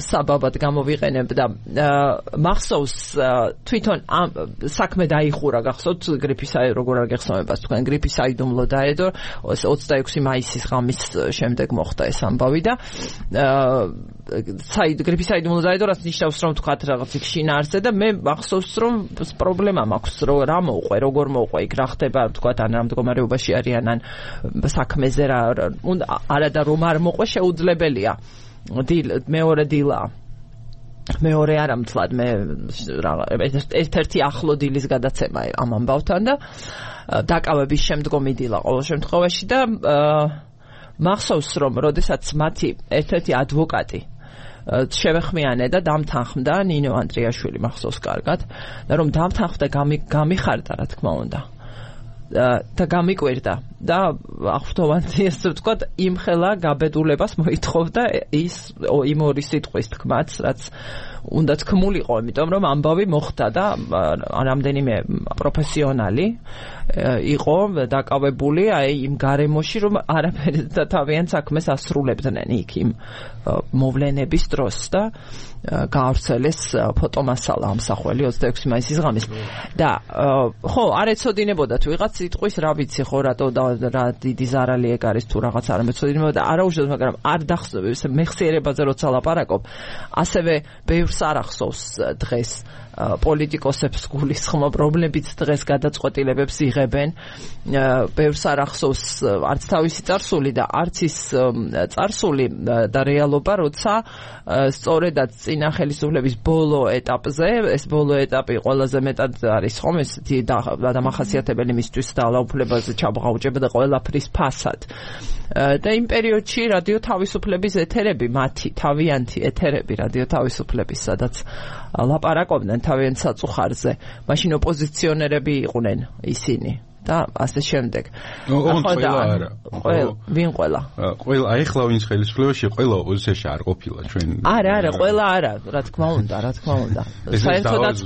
საბაბად გამოვიყენებ და მახსოვს თვითონ საქმე დაიხურა გახსოვთ გრიფის როგორ არ გეხსოვებას თქვენ გრიფის საიდუმლო დაედო ოცდაექვსი მაისის ღამის შემდეგ მოხდა ეს ამბავი და საიდ გრიფის საიდუმლო დაედო რაც ნიშნავს რომ თქვათ რაღაც იქ შინაარსზე და მე მახსოვს რომ პრობლემა მაქვს რომ რა მოუყვე როგორ მოუყვე იქ რა ხდება თქვათ ან რა მდგომარეობაში არიან ან საქმეზე რა არა და რომ არ მოყვე შეუძლებელია მეორე დილა მეორე არ ამთლად მე ერთ-ერთი ახლო დილის გადაცემა ამ ამბავთან და დაკავების შემდგომი დილა ყოველ შემთხვევაში და მახსოვს რომ როდესაც მათი ერთ-ერთი ადვოკატი შევეხმიანე და დამთანხმდა ნინო ანდრიაშვილი მახსოვს კარგად და რომ დამთანხმდა გამიხარდა რა თქმა უნდა და გამიკვირდა და აღფრთოვანი ესე ვთქვათ იმხელა გაბედულებას მოითხოვდა ის იმ ორი სიტყვის თქმაც რაც უნდა თქმულიყო იმიტომ რომ ამბავი მოხდა და რამდენიმე პროფესიონალი იყო დაკავებული აი იმ გარემოში რომ არაფერი და თავიანთ საქმეს ასრულებდნენ იქ იმ მოვლენების დროს და გაავრცელეს ფოტომასალა ამსახველი ოცდაექვსი მაისის ღამის და ხო არ ეცოდინებოდათ ვიღაც სიტყვის რა ვიცი ხო რატო და რა დიდი ზარალი ეგ არის თუ რაღაც არ მეცოდინებოდა არაუშავს მაგრამ არ დახსოვს მეხსიერებაზე როცა ლაპარაკობ ასევე ბევრს არ ახსოვს დღეს პოლიტიკოსებს გულისხმობ პრობლემებიც დღეს გადაწყვეტილებებს იღებენ ბევრს არ ახსოვს არც თავისი წარსული და არც ის წარსული და რეალობა როცა სწორედაც წინა ხელისუფლების ბოლო ეტაპზე ეს ბოლო ეტაპი ყველაზე მეტად არის ხომ ეს დამახასიათებელი მისთვის და ალაუფლებაზე ჩაბღაუჭება და ყველაფრის ფასად და იმ პერიოდში რადიო თავისუფლების ეთერები მათი თავიანთი ეთერები რადიო თავისუფლების სადაც ლაპარაკობდნენ თავიანთ საწუხარზე მაშინ ოპოზიციონერები იყვნენ ისინი და ასე შემდეგ. ყველა არა. ვინ ყველა? ყველა აი ხლა ვინც ხელისუფლებაში ყველა ოპოზიციაში არ ყოფილა ჩვენ. არა, არა, ყველა არა, რა თქმა უნდა, რა თქმა უნდა. საერთოდაც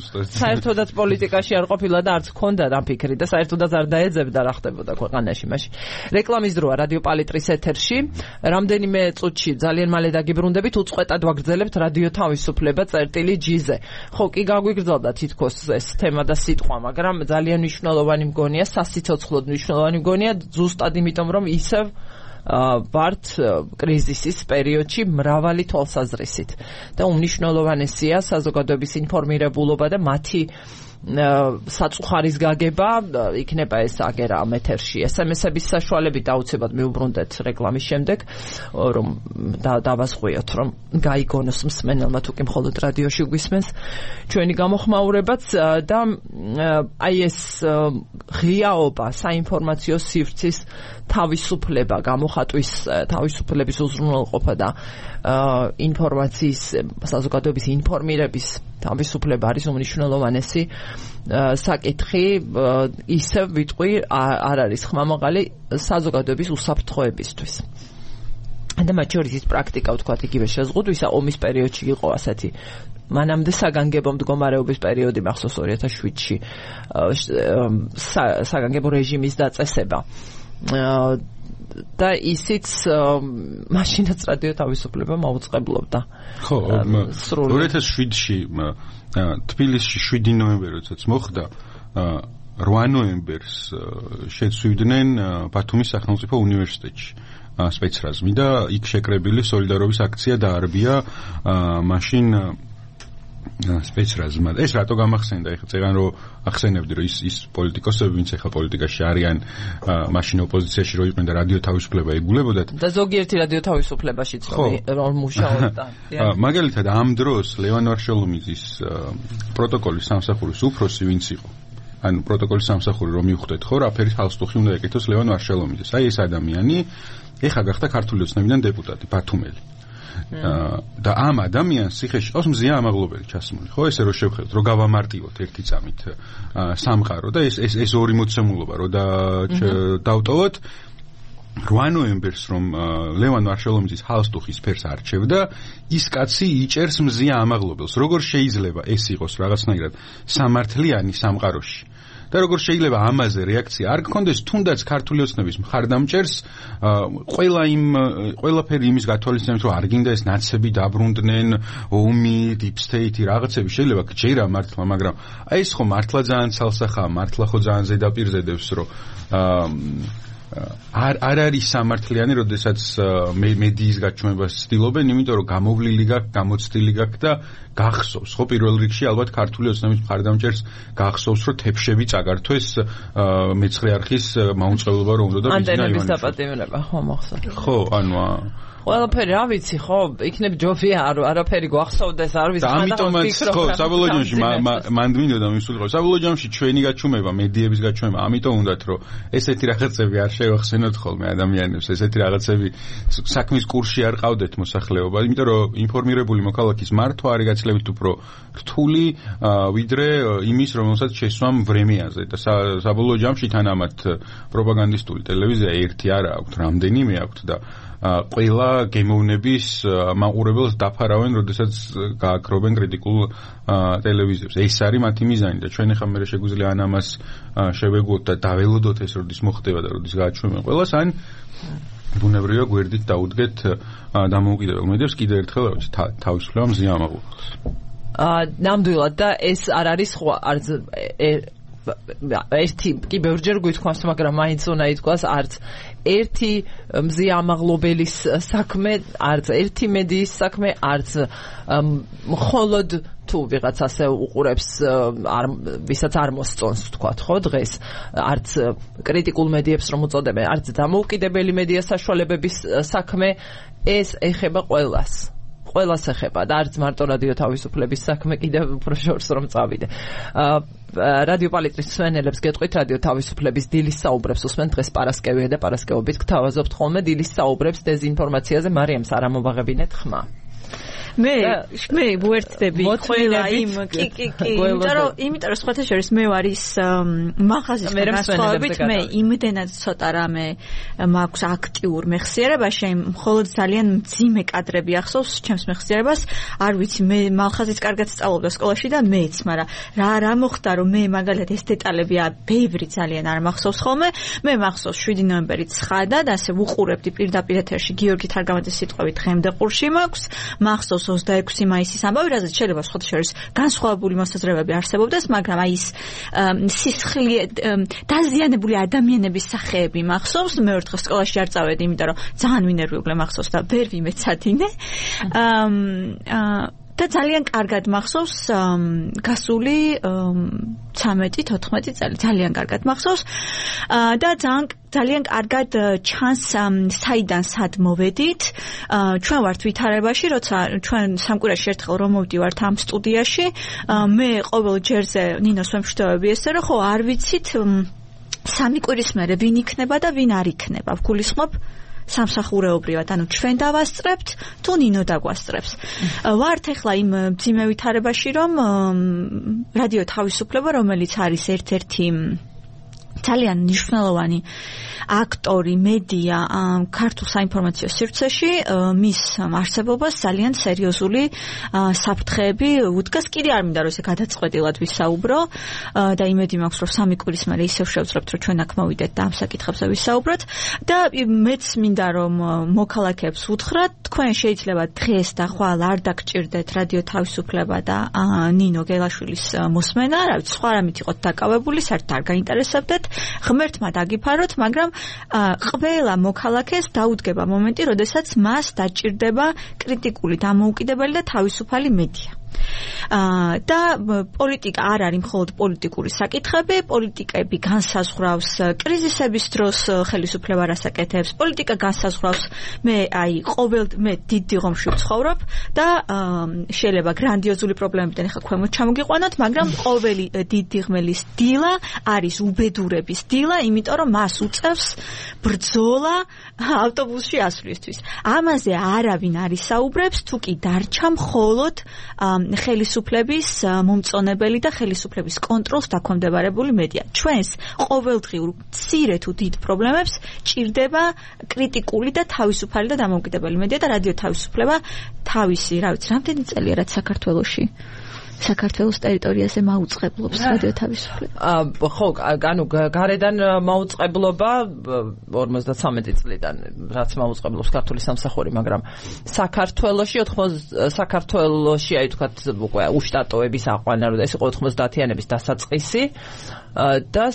საერთოდაც პოლიტიკაში არ ყოფილა და არც ქონდა ამ ფიქრი და საერთოდაც არ დაეძებდა რა ხდებოდა ქვეყანაში მაშინ. რეკლამის დროა რადიო პალიტრის ეთერში. რამდენიმე წუთში ძალიან მალე დაგიბრუნდებით უწყვეტად ვაგრძელებთ რადიო თავისუფლება წერტილი ჯიზე. ხო, კი გაგვიგრძელდა თითქოს ეს თემა და სიტყვა, მაგრამ ძალიან მნიშვნელოვანი მგონია სიცოცხლოდ მნიშვნელოვანი მგონია ზუსტად იმიტომ რომ ისევ ვართ კრიზისის პერიოდში მრავალი თვალსაზრისით და უმნიშვნელოვანესია საზოგადოების ინფორმირებულობა და მათი საწუხარის გაგება იქნება ეს აგერა ამ ეთერში ეს ემ ეს-ების საშუალებით დაუცებად მივუბრუნდეთ რეკლამის შემდეგ რომ დავასხვიოთ რომ გაიგონოს მსმენელმა თუ კი მხოლოდ რადიოში გვისმენს ჩვენი გამოხმაურებაც და აი ეს ღიაობა საინფორმაციო სივრცის თავისუფლება გამოხატვის თავისუფლების უზრუნველყოფა და ინფორმაციის საზოგადოების ინფორმირების თავისუფლება არის უმნიშვნელოვანესი საკითხი ისევ ვიტყვი არ არის ხმამაღალი საზოგადოების უსაფრთხოებისთვის. და მათ შორის ის პრაქტიკა ვთქვათ იგივე შეზღუდვისა ომის პერიოდში იყო ასეთი მანამდე საგანგებო მდგომარეობის პერიოდი მახსოვს ორი ათას შვიდში საგანგებო რეჟიმის დაწესება და ისიც მაშინაც რადიო თავისუფლება მოუწყებლობდა. ხო, ორი ათას შვიდში თბილისში შვიდი ნოემბერი როდესაც მოხდა რვა ნოემბერს შეცვლიდნენ ბათუმის სახელმწიფო უნივერსიტეტში სპეცრაზმი და იქ შეკრებილი სოლიდარობის აქცია დაარბია მაშინ სპეცრაზმა. ეს რატო გამახსენდა? ეხლა წერან რომ ახსენებდი რომ ის ის პოლიტიკოსები ვინც ეხლა პოლიტიკაში არიან მაშინ ოპოზიციაში რო იყვნენ და რადიო თავისუფლება ეგულებოდათ და ზოგიერთი რადიო თავისუფლებაშიც რომ მუშაობდა. მაგალითად ამ დროს ლევან ვარშელომიძის პროტოკოლის სამსახურის უფროსი ვინც იყო ანუ პროტოკოლის სამსახური რომ მივხვდეთ ხო რა ფერის ხალხსტუხი უნდა ეკეთოს ლევან ვარშელომიძეს. აი ეს ადამიანი ეხლა გახდა ქართული ოცნებიდან დეპუტატი ბათუმელი. და ამ ადამიანს სიხეში ყავს მზია ამაღლობელი ჩასმული. ხო, ესე რომ შევხედოთ, რომ გავამარტივოთ ერთი წამით სამყარო და ეს ეს ეს ორი მოცემულობა რომ და დავტოვოთ რვა ნოემბერს რომ ლევან ვარშალომიძის ჰალსტუხის ფერს არჩევდა, ის კაცი იჭერს მზია ამაღლობელს. როგორ შეიძლება ეს იყოს რაღაცნაირად სამართლიანი სამყაროში? და როგორ შეიძლება ამაზე რეაქცია არ გქონდეს, თუნდაც ქართული ოცნების მხარდამჭერს ყველა იმ ყველაფერი იმის გათვალისწინებით, რომ არ გინდა ეს ნაცები დაბრუნდნენ, ომი, deep state რაღაცები შეიძლება გჯერა მართლა, მაგრამ აი ეს ხო მართლა ძალიან ცალსახაა, მართლა ხო ძალიან ზედაპირზე დევს, რომ არ არ არის სამართლიანი, როდესაც მედიის გაჩვენებას ცდილობენ, იმიტომ რომ გამოვლილი გაქვს, გამოცდილი გაქვს და გახსოვს. ხო, პირველ რიგში ალბათ ქართული ოცნების მხარდამჭერს გახსოვს, რომ თეფშები წაგართვეს მეცხრე არხის მაუწყებლობა რომ უნდა და ანტენების დაპატიმრება, ხო, მოხსნა. ხო, ანუ ყველაფერი რა ვიცი, ხო, იქნებ ჯობია არ არაფერი გვახსოვდეს, არ ვიცი, ამიტომაც ხო, საბოლოო ჯამში მანდ მინდოდა მისულიყო. საბოლოო ჯამში ჩვენი გაჩუმება, მედიების გაჩუმება, ამიტომ უნდათ რომ ესეთი რაღაცები არ შევახსენოთ ხოლმე ადამიანებს, ესეთი რაღაცები საქმის კურსში არ ყავდეთ მოსახლეობა, იმიტომ რომ ინფორმირებული მოქალაქის მართვა არის გაცილებით უფრო რთული ვიდრე იმის, რომელსაც შესვამ ვრემეაზე და საბოლოო ჯამში თან ამათ პროპაგანდისტული ტელევიზია ერთი არა აქვთ, რამდენიმე აქვთ და ყველა გემოვნების მაყურებელს დაფარავენ, როდესაც გააკრობენ კრიტიკულ ტელევიზიებს. ეს არის მათი მიზანი და ჩვენ ახლა მე შეგვიძლია ან ამას შევეგოთ და დაველოდოთ ეს როდის მოხდება და როდის გააჩვენებენ ყველას, ან ბუნებრივია გვერდით დაუდგეთ დამოუკიდებელ მედიებს კიდევ ერთხელ თავისუფლება მზია ამაღლობელს. აა ნამდვილად და ეს არ არის ხო არც ერთი კი ბევრჯერ გვითქვამს, მაგრამ მაინც უნდა ითქვას, არც ერთი მზია ამაღლობელის საქმე, არც ერთი მედიის საქმე, არც მხოლოდ თუ ვიღაც ასე უყურებს, ვისაც არ მოსწონს ვთქვათ, ხო, დღეს, არც კრიტიკულ მედიებს რომ უწოდებენ, არც დამოუკიდებელი მედია საშუალებების საქმე, ეს ეხება ყველას. ყველას ეხება და არც მარტო რადიო თავისუფლების საქმე, კიდევ უფრო შორს რომ წავიდე. რადიო პალიტრის მსმენელებს გეტყვით, რადიო თავისუფლების დილის საუბრებს უსმენთ დღეს პარასკევია და პარასკევობით გთავაზობთ ხოლმე დილის საუბრებს დეზინფორმაციაზე. მარიამს არ ამოვაღებინეთ ხმა. მე მე ვერთდები ყველა იმ კი კი კი იმიტომ რომ იმიტომ რომ სხვათა შორის მე ვარ ის მაღაზიის განსხვავებით მე იმდენად ცოტა რამე მაქვს აქტიურ მეხსიერებაში, მხოლოდ ძალიან მძიმე კადრები ახსოვს ჩემს მეხსიერებას. არ ვიცი, მე მაღაზიის კარგად სწავლობდა სკოლაში და მეც, მაგრამ რა რა მოხდა რომ მე მაგალითად ეს დეტალებია ბევრი ძალიან არ მახსოვს ხოლმე. მე მახსოვს შვიდი ნოემბერი ცხადა და ასე ვუყურებდი პირდაპირ ეთერში გიორგი თარგამაძის სიტყვებით დღემდე ყურში მაქვს. მახსოვს ოცდაექვსი მაისის ამბავი, რაზეც შეიძლება სხვათა შორის განსხვავებული მოსაზრებები არსებობდეს, მაგრამ აი ის სისხლი დაზიანებული ადამიანების სახეები მახსოვს. მე ერთხელ სკოლაში არ წავედი, იმიტომ რომ ძალიან ვინერვიულე მახსოვს და ვერ ვიმეცადინე. აა და ძალიან კარგად მახსოვს გასული ცამეტი თოთხმეტი წელი, ძალიან კარგად მახსოვს და ძალიან ძალიან კარგად ჩანს საიდან სად მოვედით. ჩვენ ვართ ვითარებაში, როცა ჩვენ სამკვირაში ერთხელ რომ მოვდივართ ამ სტუდიაში, მე ყოველ ჯერზე ნინოს ვემშვიდობები ესე რომ ხო არ ვიცით სამი კვირის მერე ვინ იქნება და ვინ არ იქნება. ვგულისხმობ სამსახურეობრივად, ანუ ჩვენ დავასწრებთ თუ ნინო დაგვასწრებს. ვართ ახლა იმ მძიმე ვითარებაში, რომ რადიო თავისუფლება, რომელიც არის ერთ-ერთი ძალიან მნიშვნელოვანი აქტორი, მედია ქართულ საინფორმაციო სივრცეში, მის არსებობას ძალიან სერიოზული საფრთხეები უდგას. კიდე არ მინდა რომ ესე გადაწყვეტილად ვისაუბრო და იმედი მაქვს რომ სამი კვირის მერე ისევ შევძლებთ რომ ჩვენ აქ მოვიდეთ და ამ საკითხებზე ვისაუბროთ და მეც მინდა რომ მოქალაქეებს უთხრათ, თქვენ შეიძლება დღეს და ხვალ არ დაგჭირდეთ რადიო თავისუფლება და ნინო გელაშვილის მოსმენა, რა ვიცი, სხვა რამით იყოთ დაკავებული, საერთოდ არ გაინტერესებდეთ, ღმერთმა დაგიფაროთ, მაგრამ ყველა მოქალაქეს დაუდგება მომენტი, როდესაც მას დაჭირდება კრიტიკული, დამოუკიდებელი და თავისუფალი მედია. აა და პოლიტიკა არ არის მხოლოდ პოლიტიკური საკითხები, პოლიტიკები განსაზღვრავს კრიზისების დროს ხელისუფლება რას აკეთებს, პოლიტიკა განსაზღვრავს მე აი ყოველ მე დიდ დიღომში ვცხოვრობ და შეიძლება გრანდიოზული პრობლემებიდან ახლა ქვემოთ ჩამოგიყვანოთ, მაგრამ ყოველი დიდ დიღმელის დილა არის უბედურების დილა, იმიტომ რომ მას უწევს ბრძოლა ავტობუსში ასვლისთვის. ამაზე არავინ არ ისაუბრებს, თუ კი დარჩა მხოლოდ ხელისუფლების მომწონებელი და ხელისუფლების კონტროლს დაქვემდებარებული მედია. ჩვენს ყოველდღიურ მცირე თუ დიდ პრობლემებს ჭირდება კრიტიკული და თავისუფალი და დამოუკიდებელი მედია და რადიო თავისუფლება თავისი, რა ვიცი, რამდენი წელია რაც საქართველოში საქართველოს ტერიტორიაზე მაუწყებლობს რადიო თავისუფლება. ხო, ანუ გარედან მაუწყებლობა ორმოცდათრამეტი წლიდან რაც მაუწყებლობს ქართული სამსახური, მაგრამ საქართველოში ოთხმოცდა საქართველოში აი თქვათ უკვე უშტატოების აყვანა, რომ ეს იყო ოთხმოცდაათიანების დასაწყისი და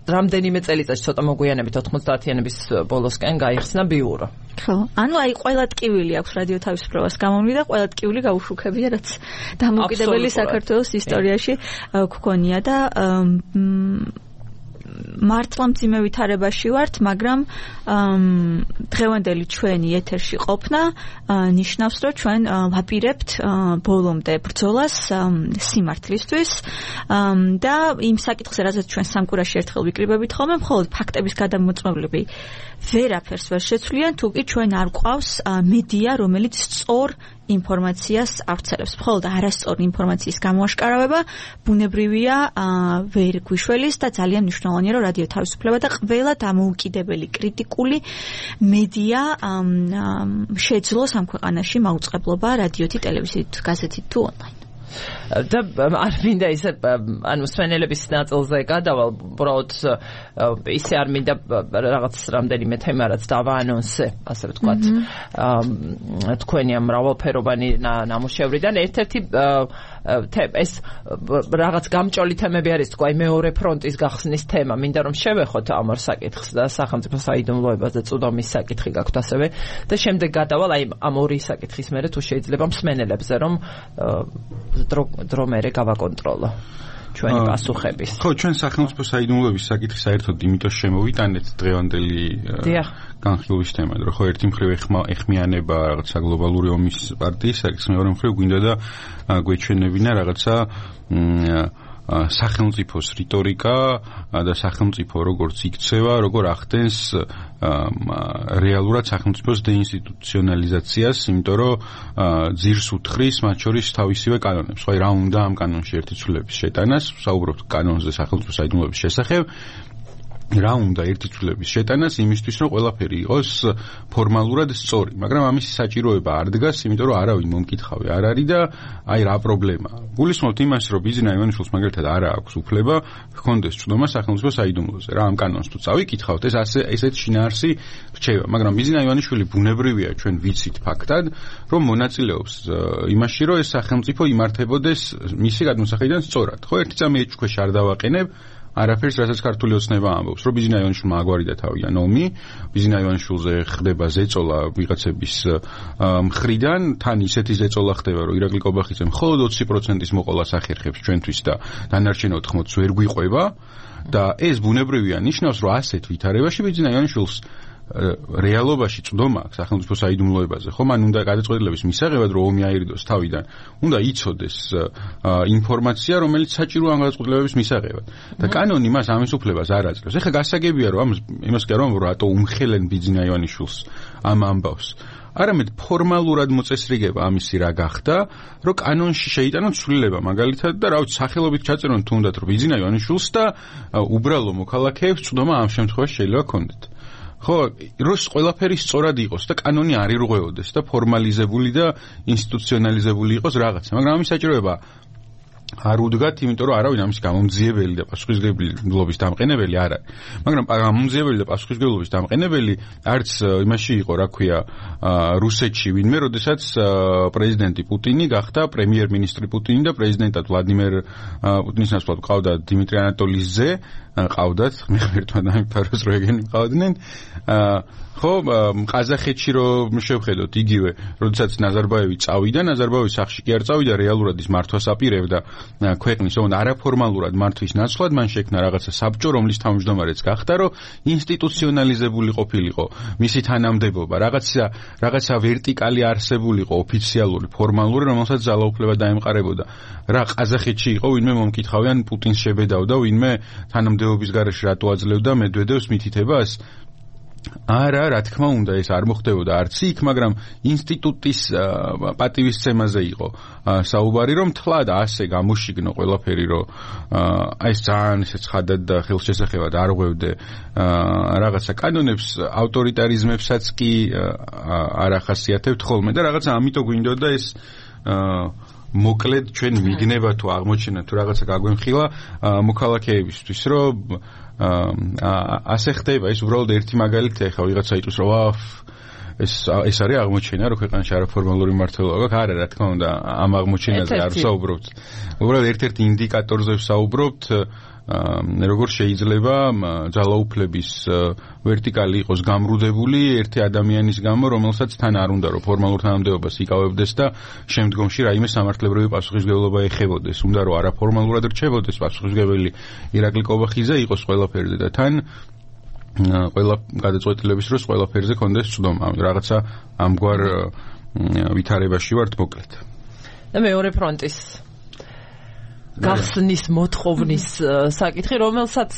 რამდენიმე წელიწადში ცოტა მოგვიანებით ოთხმოცდაათიანების ბოლოსკენ გაიხსნა ბიურო. ხო, ანუ აი ყველა ტკივილი აქვს რადიო თავისუფლებას გამომვლი და ყველა ტკივილი გაუშვუქებია, რაც დამოუკიდებელი საქართველოს ისტორიაში გქონია და მართლა მძიმე ვითარებაში ვართ, მაგრამ დღევანდელი ჩვენი ეთერში ყოფნა ნიშნავს, რომ ჩვენ ვაპირებთ ბოლომდე ბრძოლას სიმართლისთვის და იმ საკითხზე, რაზეც ჩვენ სამკურაში ერთხელ ვიკრიბებით ხოლმე, მხოლოდ ფაქტების გადამოწმებლები ვერაფერს ვერ შეცვლიან, თუ კი ჩვენ არ გვყავს მედია, რომელიც სწორ ინფორმაციას ავრცელებს. მხოლოდ არასწორი ინფორმაციის გამოაშკარავება ბუნებრივია ვერ გვიშველის და ძალიან მნიშვნელოვანია, რომ რადიო თავისუფლება და ყველა დამოუკიდებელი კრიტიკული მედია შეძლოს ამ ქვეყანაში მაუწყებლობა რადიოთი, ტელევიზიით, გაზეთით თუ ონლაინ. და არ მინდა ისე ანუ სვენელების ნაწილზე გადავალ, უბრალოდ ისე არ მინდა რაღაც რამდენიმე თემა რაც დავაანონსე, ასე ვთქვათ, თქვენი ამ მრავალფეროვანი ნამუშევრიდან ერთ-ერთი ეს რაღაც გამჭოლი თემები არის, თქვა, მეორე ფრონტის გახსნის თემა. მინდა რომ შევეხოთ ამ ორ საკითხს და სახელმწიფო საიდუმლოებას და წვდომის საკითხი გაქვთ ასევე და შემდეგ გადავალ აი ამ ორი საკითხის მერე თუ შეიძლება მსმენელებზე რომ დრო დრო მერე გავაკონტროლო ჩვენი პასუხების. ხო, ჩვენ სახელმწიფო საიდუმლოების საკითხი საერთოდ იმიტომ შემოვიტანეთ დღევანდელი განხილვის თემად, რომ ხო ერთი მხრივ ეხმიანება რაღაცა გლობალური ომის პარტიის საკითხს, მეორე მხრივ გვინდა და გვეჩვენებინა რაღაცა სახელმწიფოს რიტორიკა და სახელმწიფო როგორც იქცევა, როგორ ახდენს რეალურად სახელმწიფოს დეინსტიტუციონალიზაციას, იმიტომ რომ ძირს უთხრის მათ შორის თავისივე კანონებს. ხო, რა უნდა ამ კანონში ერთი ცვლილების შეტანას, საუბრობთ კანონზე სახელმწიფო საიდუმლოების შესახებ. რა უნდა ერთი ცვლილების შეტანას იმისთვის, რომ ყველაფერი იყოს ფორმალურად სწორი, მაგრამ ამისი საჭიროება არ დგას, იმიტომ რომ არავინ მომკითხავი არ არის და აი რა პრობლემაა. გულისხმობთ იმას, რომ ბიზნა ივანიშვილს მაგალითად არ აქვს უფლება ჰქონდეს წვდომა სახელმწიფო საიდუმლოზე. რა ამ კანონს თუ წავიკითხავთ, ეს ასე ესეთ შინაარსი რჩება, მაგრამ ბიზნა ივანიშვილი ბუნებრივია, ჩვენ ვიცით ფაქტად, რომ მონაწილეობს იმაში, რომ ეს სახელმწიფო იმართებოდეს მისი გადმოსახედიდან სწორად. ხო, ერთი წამი ეჭქვეშ არ დავაყენებ არაფერს, რასაც ქართული ოცნება ამბობს, რომ ბიზნა ივანიშვილმა აგვარიდა თავიდან ომი, ბიზნა ივანიშვილზე ხდება ზეწოლა ვიღაცების მხრიდან, თან ისეთი ზეწოლა ხდება, რომ ირაკლი კობახიძე მხოლოდ ოცი პროცენტის მოყოლას ახერხებს ჩვენთვის და დანარჩენ ოთხმოცს ვერ გვიყვება და ეს ბუნებრივია ნიშნავს, რომ ასეთ ვითარებაში ბიზნა ივანიშვილს რეალობაში წვდომა აქვს სახელმწიფო საიდუმლოებაზე. ხო, მან უნდა გადაწყვეტილების მისაღებად რომ ომი აირიდოს თავიდან, უნდა იცოდეს ინფორმაცია, რომელიც საჭიროა ამ გადაწყვეტილების მისაღებად. და კანონი მას ამის უფლებას არ აძლევს. ეხლა გასაგებია რომ იმას კი არ ვამბობ, რომ რატო უმხელენ ბიზნა ივანიშვილს ამ ამბავს. არამედ ფორმალურად მოწესრიგება ამისი რა გახდა, რომ კანონში შეიტანონ ცვლილება მაგალითად და რა ვიცი სახელობით ჩაწერონ თუნდაც რომ ბიზნა ივანიშვილს და უბრალო მოქალაქეებს წვდომა ამ შემთხვევაში შეიძლება ქონდეთ. ხო, როს ყველაფერი სწორად იყოს და კანონი არ ირღვეოდეს და ფორმალიზებული და ინსტიტუციონალიზებული იყოს რაღაცა, მაგრამ ამის საჭიროება არ უდგათ, იმიტომ რომ არავინ ამის გამომძიებელი და პასუხისმგებლობის დამყენებელი არ არის. მაგრამ გამომძიებელი და პასუხისმგებლობის დამყენებელი არც იმაში იყო, რა ქვია, რუსეთში ვინმე, როდესაც პრეზიდენტი პუტინი გახდა პრემიერ-მინისტრი პუტინი და პრეზიდენტად ვლადიმერ პუტინის ნაცვლად ყავდა დიმიტრი ანატოლიძე ზე, ყავდათ, მე ღმერთმა დამიფაროს რო ეგენი ყავდნენ. ხო, ყაზახეთში რომ შევხედოთ იგივე, როდესაც ნაზარბაევი წავიდა, ნაზარბაევის სახში კი არ წავიდა, რეალურად ის მართვას აპირებდა ქვეყნის, თუმცა არაფორმალურად მართვის ნაცვლად მან შექმნა რაღაცა საბჭო, რომლის თავმჯდომარეც გახდა, რომ ინსტიტუციონალიზებული ყოფილიყო მისი თანამდებობა, რაღაცა რაღაცა ვერტიკალი არსებულიყო, ოფიციალური, ფორმალური, რომელსაც ძალაუფლება დაემყარებოდა. რა ყაზახეთში იყო, ვინმე მომკითხავენ პუტინს შებედავდა, ვინმე თანამდებობის გარეშე რატო აძლევდა მედვედევს მითითებას? არა, რა თქმა უნდა, ეს არ მოხდებოდა არც იქ, მაგრამ ინსტიტუტის პატივისცემაზე იყო საუბარი, რომ თლად ასე გამოშიგნო ყველაფერი, რომ აი ეს ძალიან ისე ცხადად და ხელშესახებად არ ღვევდე რაღაცა კანონებს, ავტორიტარიზმებსაც კი არ ახასიათებთ ხოლმე და რაღაცა ამიტომ გვინდოდა ეს მოკლედ ჩვენ მიგნება თუ აღმოჩენა თუ რაღაცა გაგვემხილა მოქალაქეებისთვის, რომ ასე ხდება. ეს უბრალოდ ერთი მაგალითია, ხა ვიღაცა იტყვის რომ აა ეს ეს არის აღმოჩენა, რომ ქვეყანაში არაფორმალური მმართველობა გაქვს. არა, რა თქმა უნდა, ამ აღმოჩენაზე არ ვსაუბრობთ. უბრალოდ ერთ-ერთ ინდიკატორზე ვსაუბრობთ, როგორ შეიძლება ძალაუფლების ვერტიკალი იყოს გამრუდებული ერთი ადამიანის გამო, რომელსაც თან არ უნდა რომ ფორმალურ თანამდებობას იკავებდეს და შემდგომში რაიმე სამართლებრივი პასუხისმგებლობა ეხებოდეს. უნდა რომ არაფორმალურად რჩებოდეს პასუხისმგებელი ირაკლი კობახიძე იყოს ყველაფერზე და თან ყველა გადაწყვეტილების დროს ყველაფერზე კონდეს ცდომა. რაღაცა ამგვარ ვითარებაში ვართ მოკლედ. და მეორე ფრონტის გახსნის მოთხოვნის საკითხი, რომელსაც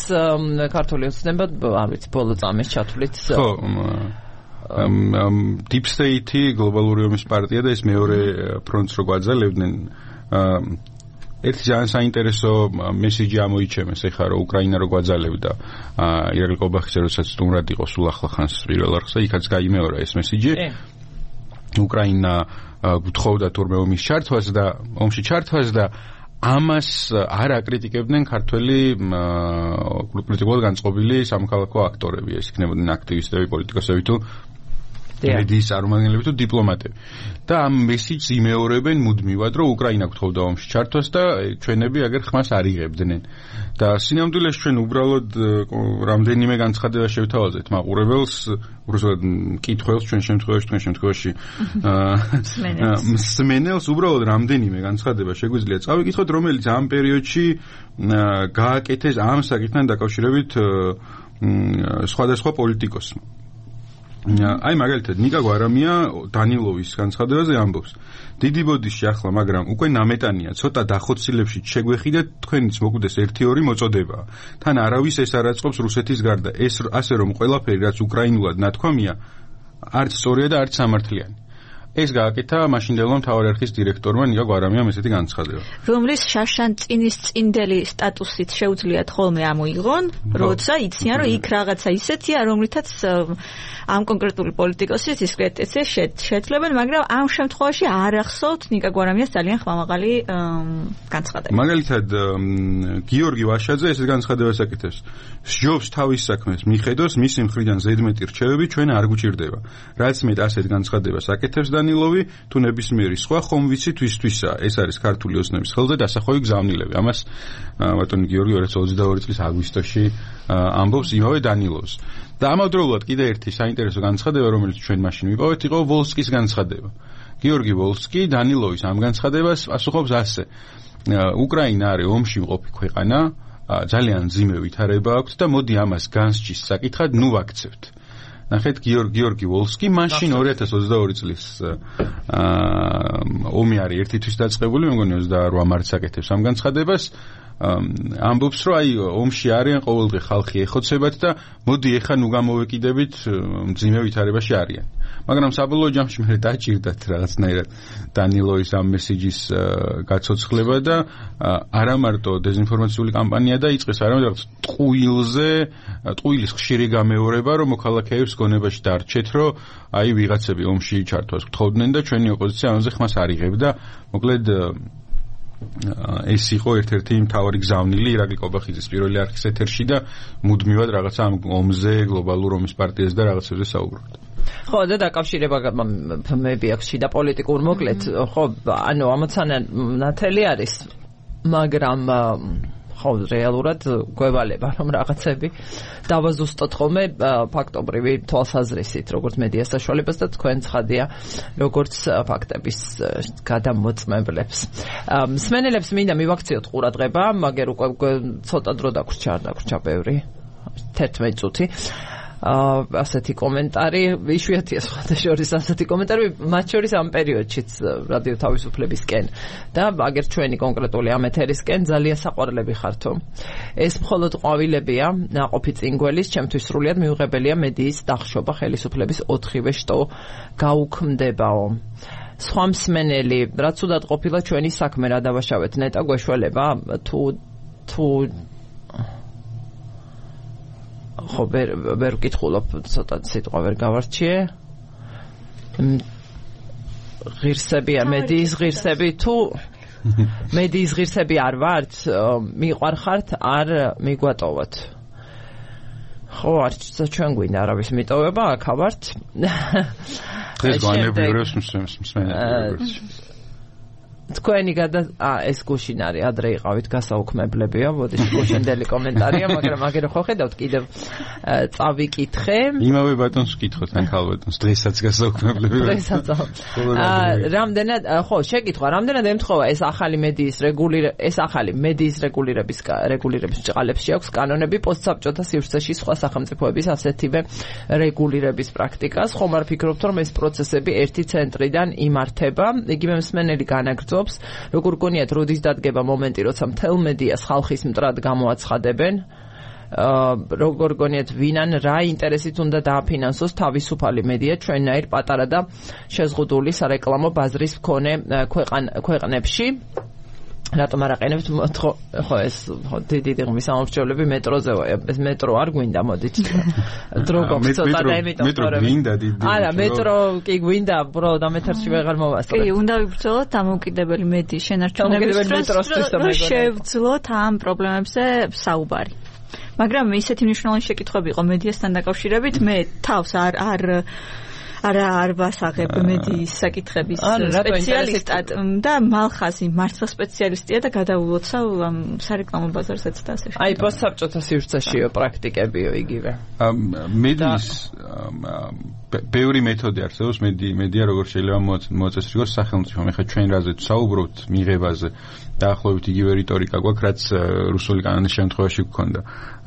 ქართული ოცნება, არ ვიცი, ბოლო წამის ჩათვლით. ხო, Deep State-ი, გლობალური ომის პარტია და ეს მეორე ფრონტს რო გვაძალებდნენ. ერთი ძალიან საინტერესო მესიჯი ამოიჩემეს ეხლა, რომ უკრაინა რო გვაძალებდა ირაკლი კობახიძე, როდესაც სტუმრად იყო სულ ახლა ხანს პირველ არხზე, იქაც გაიმეორა ეს მესიჯი. უკრაინა გთხოვდა თურმე ომის ჩართვას და ომში ჩართვას და ამას არ აკრიტიკებდნენ ქართველი პოლიტიკურად განწყობილი სამოქალაქო აქტორები, ეს იქნებოდნენ აქტივისტები, პოლიტიკოსები თუ მედიის წარმომადგენლები თუ დიპლომატები. და ამ მესიჯს იმეორებენ მუდმივად, რომ უკრაინა გთხოვდა ომში ჩართვას და ჩვენები აგერ ხმას არ იღებდნენ. და სინამდვილეში ჩვენ უბრალოდ რამდენიმე განცხადება შევთავაზეთ მაყურებელს, უბრალოდ მკითხველს ჩვენ შემთხვევაში, თქვენ შემთხვევაში მსმენელს, უბრალოდ რამდენიმე განცხადება შეგვიძლია წავიკითხოთ, რომელიც ამ პერიოდში გააკეთეს ამ საკითხთან დაკავშირებით სხვადასხვა პოლიტიკოსმა. აი მაგალითად ნიკა გვარამია დანილოვის განცხადებაზე ამბობს: დიდი ბოდიში ახლა, მაგრამ უკვე ნამეტანია, ცოტა დახოცილებში შეგვეხიდეთ, თქვენიც მოგვდეს ერთი ორი მოწოდება. თან არავის ეს არ აწყობს რუსეთის გარდა. ეს ასე რომ ყველაფერი რაც უკრაინულად ნათქვამია, არც სწორია და არც სამართლიანი. ეს გააკეთა მაშინდელმა მთავარი არქივის დირექტორმა ნიკა გვარამიამ ესეთი განცხადება. რომლის შაშანწინის წინდელი სტატუსით შეუძლიათ ხოლმე ამოიღონ, როცა იციან, რომ იქ რაღაცა ისეთია, რომლითაც ამ კონკრეტული პოლიტიკოსის დისკრეტიცია შეძლებენ, მაგრამ ამ შემთხვევაში არ ახსოვთ ნიკა გვარამიას ძალიან ხმამაღალი განცხადება. მაგალითად, გიორგი ვაშაძე ესეთ განცხადებას აკეთებს: სჯობს თავის საქმეს მიხედოს, მისი მხრიდან ზედმეტი რჩევები ჩვენ არ გვჭირდება. რაც მეტ ასეთ განცხადებას აკეთებს დანილოვი, თუ ნებისმიერი სხვა ხომ ვიცი თვისთვისა. ეს არის ქართული ოცნების ხელზე დასახვევი გზავნილები. ამას ბატონი გიორგი ორი ათას ოცდაორი წლის აგვისტოში ამბობს იმავე დანილოვს. და ამავდროულად კიდე ერთი საინტერესო განცხადება, რომელიც ჩვენ მაშინ ვიპოვეთ, იყო ვოლსკის განცხადება. გიორგი ვოლსკი დანილოვის ამ განცხადებას პასუხობს ასე: უკრაინა არის ომში მყოფი ქვეყანა, ძალიან მძიმე ვითარება აქვს და მოდი ამას განსჯის საკითხად ნუ ვაქცევთ. ნახეთ, გიორგი ვოლსკი მაშინ ორი ათას ოცდაორი წლის ომი არის ერთი თვის დაწყებული, მე მგონი ოცდაორ მარტს აკეთებს ამ განცხადებას. ამბობს, რომ აი ომში არიან ყოველდღე ხალხი ეხოცებათ და მოდი ეხა ნუ გამოვეკიდებით, მძიმე ვითარებაში არიან. მაგრამ საბოლოო ჯამში მე დაჭირდათ რაღაცნაირად დანილოვის ამ მესიჯის გაცოცხლება და არა მარტო დეзинფორმაციული კამპანია დაიწყეს, არამედ რაღაც ტყუილზე, ტყუილის ხშირი გამეორება, რომ მოქალაქეებს გონებაში დარჩეთ, რომ აი ვიღაცები ომში ჩართვას გთხოვდნენ და ჩვენი ოპოზიცია ამაზე ხმას არ იღებდა. მოკლედ ეს იყო ერთ-ერთი მთავარი გზავნილი ირაკლი კობახიძის პირველი არხის ეთერში და მუდმივად რაღაცა ამ ომზე, გლობალურ ომის პარტიაზე და რაღაცებზე საუბრობთ. ხო, და დაკავშირება მე აქვს და პოლიტიკურ მოკლედ, ხო, ანუ ამოცანა ნათელი არის, მაგრამ ხო, რეალურად გვევალება რომ რაღაცები დავაზუსტოთ ხოლმე ფაქტობრივი თვალსაზრისით, როგორც მედიას საშუალებას და თქვენ ცხადია, როგორც ფაქტების გადამოწმებლებს. მსმენელებს მინდა მივაქციოთ ყურადღება, მაგრამ უკვე ცოტა დრო დაგვრჩა, არ დაგვრჩა ბევრი, თერთმეტი წუთი. ასეთი კომენტარი, იშვიათია სხვადასხვა ასეთი კომენტარი, მათ შორის ამ პერიოდშიც რადიო თავისუფლებისკენ და აგერ ჩვენი კონკრეტული ამ ეთერისკენ ძალიან საყვარლები ხართო. ეს მხოლოდ ყვავილებია, ნაყოფი წინგველის, ჩემთვის სრულიად მიუღებელია მედიის დახშობა ხელისუფლების ოთხივე შტო გაუქმდებაო. სხვა მსმენელი, რაც უდად ყოფილა ჩვენი საქმე, რა დავაშავეთ, ნეტა გვეშველება თუ თუ ხო ვერ ვერ ვკითხულობ, ცოტა სიტყვა ვერ გავარჩიე. ღირსებია მედიის ღირსები თუ მედიის ღირსები არ ვართ, მიყვარხართ, არ მიგვატოვოთ. ხო, არც ჩვენ გვინდა არავის მიტოვება, აქ ვართ. ეს განებიურებს მსმენელს. თქვენი გადა ეს გუშინ არის, ადრე იყავით გასაუქმებლებია, მოდი გუშინდელი კომენტარია, მაგრამ აგერ ხო ხედავთ კიდევ წავიკითხე. იმავე ბატონს ვკითხოთ, ან ქალბატონს, დღესაც გასაუქმებლებია. დღესაც. რამდენად, ხო, შეკითხვა, რამდენად ემთხვევა ეს ახალი მედიის რეგულირება, ეს ახალი მედიის რეგულირების რეგულირების ჭყალებში აქვს კანონები პოსტსაბჭოთა სივრცეში სხვა სახელმწიფოების ასეთივე რეგულირების პრაქტიკას. ხომ არ ფიქრობთ, რომ ეს პროცესები ერთი ცენტრიდან იმართება, იგივე მსმენელი განაგრძობს როგორ გონიათ როდის დადგება მომენტი, როცა მთელ მედიას ხალხის მტრად გამოაცხადებენ, როგორ გონიათ ვინან რა ინტერესით უნდა დააფინანსოს თავისუფალი მედია ჩვენნაირ პატარა და შეზღუდული სარეკლამო ბაზრის მქონე ქვეყნებში. რატომ არ აყენებთ ხო ეს დიდი ღმის ამორჩევლები მეტროზეა, ეს მეტრო არ გვინდა, მოდით დრო გვაქვს ცოტა და იმიტომ მეტრო გვინდა დიდი. არა, მეტრო კი გვინდა, პრო და მეთერში ვეღარ მოვასწრებ. კი, უნდა ვიბრძოლოთ დამოუკიდებელი მედიის შენარჩუნების დროს, შევძლოთ ამ პრობლემებზე საუბარი. მაგრამ ისეთი მნიშვნელოვანი შეკითხვები იყო მედიასთან დაკავშირებით, მე თავს არ არ არა არ ვასაღებ მედიის საკითხების სპეციალისტად და მალხაზი მართლა სპეციალისტია და გადავულოცავ სარეკლამო ბაზარსაც და ასე შემდეგ. აი პოსტსაბჭოთა სივრცეშიო პრაქტიკებიო იგივე. მედიის ბევრი მეთოდი არსებობს, მედია როგორ შეიძლება მოაწესრიგოს სახელმწიფომ. ეხლა ჩვენ რაზე საუბრობთ მიღებაზე დაახლოებით იგივე რიტორიკა გვაქვს, რაც რუსული კანონის შემთხვევაში გქონდა.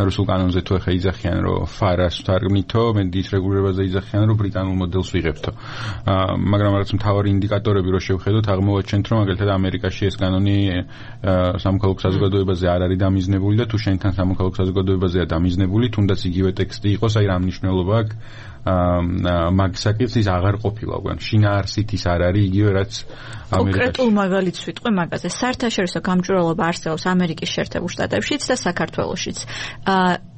რუსულ კანონზე თუ ეხა იძახიან, რომ ფარას ვთარგმნითო, მედიის რეგულირებაზე იძახიან, რომ ბრიტანულ მოდელს ვიღებთო. მაგრამ რაც მთავარი ინდიკატორები რო შევხედოთ, აღმოვაჩენთ, რომ მაგალითად ამერიკაში ეს კანონი სამოქალაქო საზოგადოებაზე არ არის დამიზნებული და თუ შენთან სამოქალაქო საზოგადოებაზეა დამიზნებული, თუნდაც იგივე ტექსტი იყოს, აი რა მნიშვნელობა აქვს მაგ საკითხის აღარ ყოფილა უკვე შინაარსით ის არ არის იგივე რაც ამერიკაში. კონკრეტულ მაგალითს ვიტყვი მაგაზე. საერთაშორისო გამჭვირვალობა არსებობს ამერიკის შეერთებულ შტატებშიც და საქართველოშიც.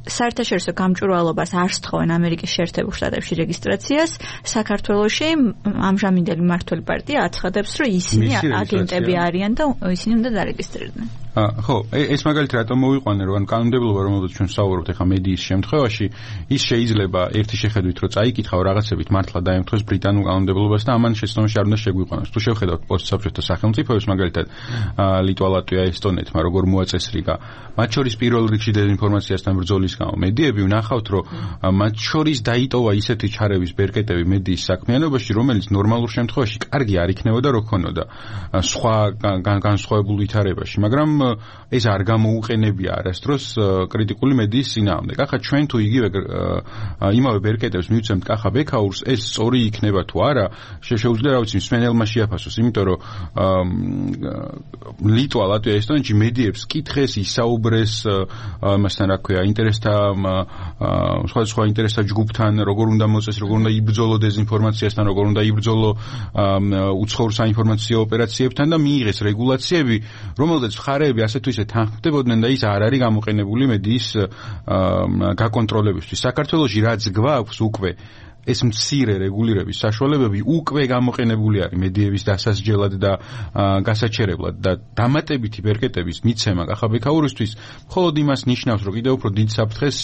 საერთაშორისო გამჭვირვალობას არ სთხოვენ ამერიკის შეერთებულ შტატებში რეგისტრაციას, საქართველოში ამჟამინდელი მმართველი პარტია აცხადებს, რომ ისინი აგენტები არიან და ისინი უნდა დარეგისტრირდნენ. ხო, ეს მაგალითად რატომ მოვიყვანე, რომ კანონმდებლობა, რომელზეც ჩვენ საუბრობთ ახლა მედიის შემთხვევაში, ის შეიძლება ერთი შეხედვით, რომ წაიკითხავ რაღაცებით მართლა დაემთხოს ბრიტანულ კანონმდებლობას და ამან შეცდომაში არ უნდა შეგვიყვანოს. თუ შევხედავთ პოსტსაბჭოთა სახელმწიფოებს, მაგალითად ლიტვა, ლატვია, ესტონეთმა როგორ მოაწესრიგა, მათ შორის პირველ რიგში დეзинფორმაციასთან ბრძოლის გამო მედიები ვნახავთ, რომ მათ შორის დაიტოვა ისეთი ჩარევის ბერკეტები მედიის საქმიანობაში, რომელიც ნორმალურ შემთხვევაში კარგი არ იქნებოდა რო ქონოდა სხვა განსხვავებულ ვითარებაში, მაგრამ ეს არ გამოუყენებია არასდროს კრიტიკული მედიის წინააღმდეგ. ახლა ჩვენ თუ იგივე იმავე ბერკეტებს მივცემთ კახა ბექაურს, ეს სწორი იქნება თუ არა, შეუძლია რა ვიცი მსმენელმა შეაფასოს, იმიტომ რომ ლიტვა, ლატვია, ესტონეთში მედიებს კითხეს, ისაუბრეს მასთან რა ქვია, ინტერესთა სხვადასხვა ინტერესთა ჯგუფთან, როგორ უნდა მოწეს, როგორ უნდა იბრძოლო დეзинფორმაციასთან, როგორ უნდა იბრძოლო უცხოურ საინფორმაციო ოპერაციებთან და მიიღეს რეგულაციები, რომელზეც მხარეები ასე თუ ისე თანხმდებოდნენ და ის არ არის გამოყენებული მედიის გაკონტროლებისთვის. საქართველოში რაც გვაქვს უკვე ეს მცირე რეგულირების საშუალებები უკვე გამოყენებული არის მედიების დასასჯელად და გასაჩერებლად და დამატებითი ბერკეტების მიცემა კახაბექაურისთვის მხოლოდ იმას ნიშნავს, რომ კიდევ უფრო დიდ საფრთხეს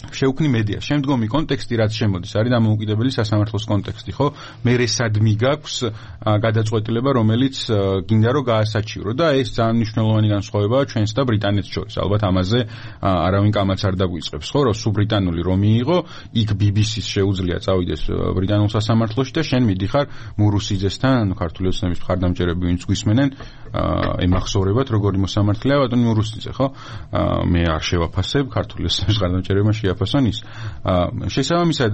შეუქმნი მედია. შემდგომი კონტექსტი რაც შემოდის არის დამოუკიდებელი სასამართლოს კონტექსტი, ხო? მე რესადმი გაქვს გადაწყვეტილება, რომელიც გინდა რომ გაასაჩირო და ეს ძალიან მნიშვნელოვანი განსხვავებაა ჩვენს და ბრიტანეთს შორის. ალბათ ამაზე არავინ კამაც არ დაგვიწყებს, ხო? რომ სულ ბრიტანული რომ მიიღო, იქ ბი ბი სის შეუძლია წავიდეს ბრიტანულ სასამართლოში და შენ მიდიხარ მურუსიძესთან, ქართული ოცნების მხარდამჭერები ვინც გვისმენენ, ემახსოვრებათ როგორი მოსამართლეა ბატონი მურუსიძე, ხო? მე არ შევაფასებ ქართული ოცნების მხარდამჭერებმა შეაფასონ ის. შესაბამისად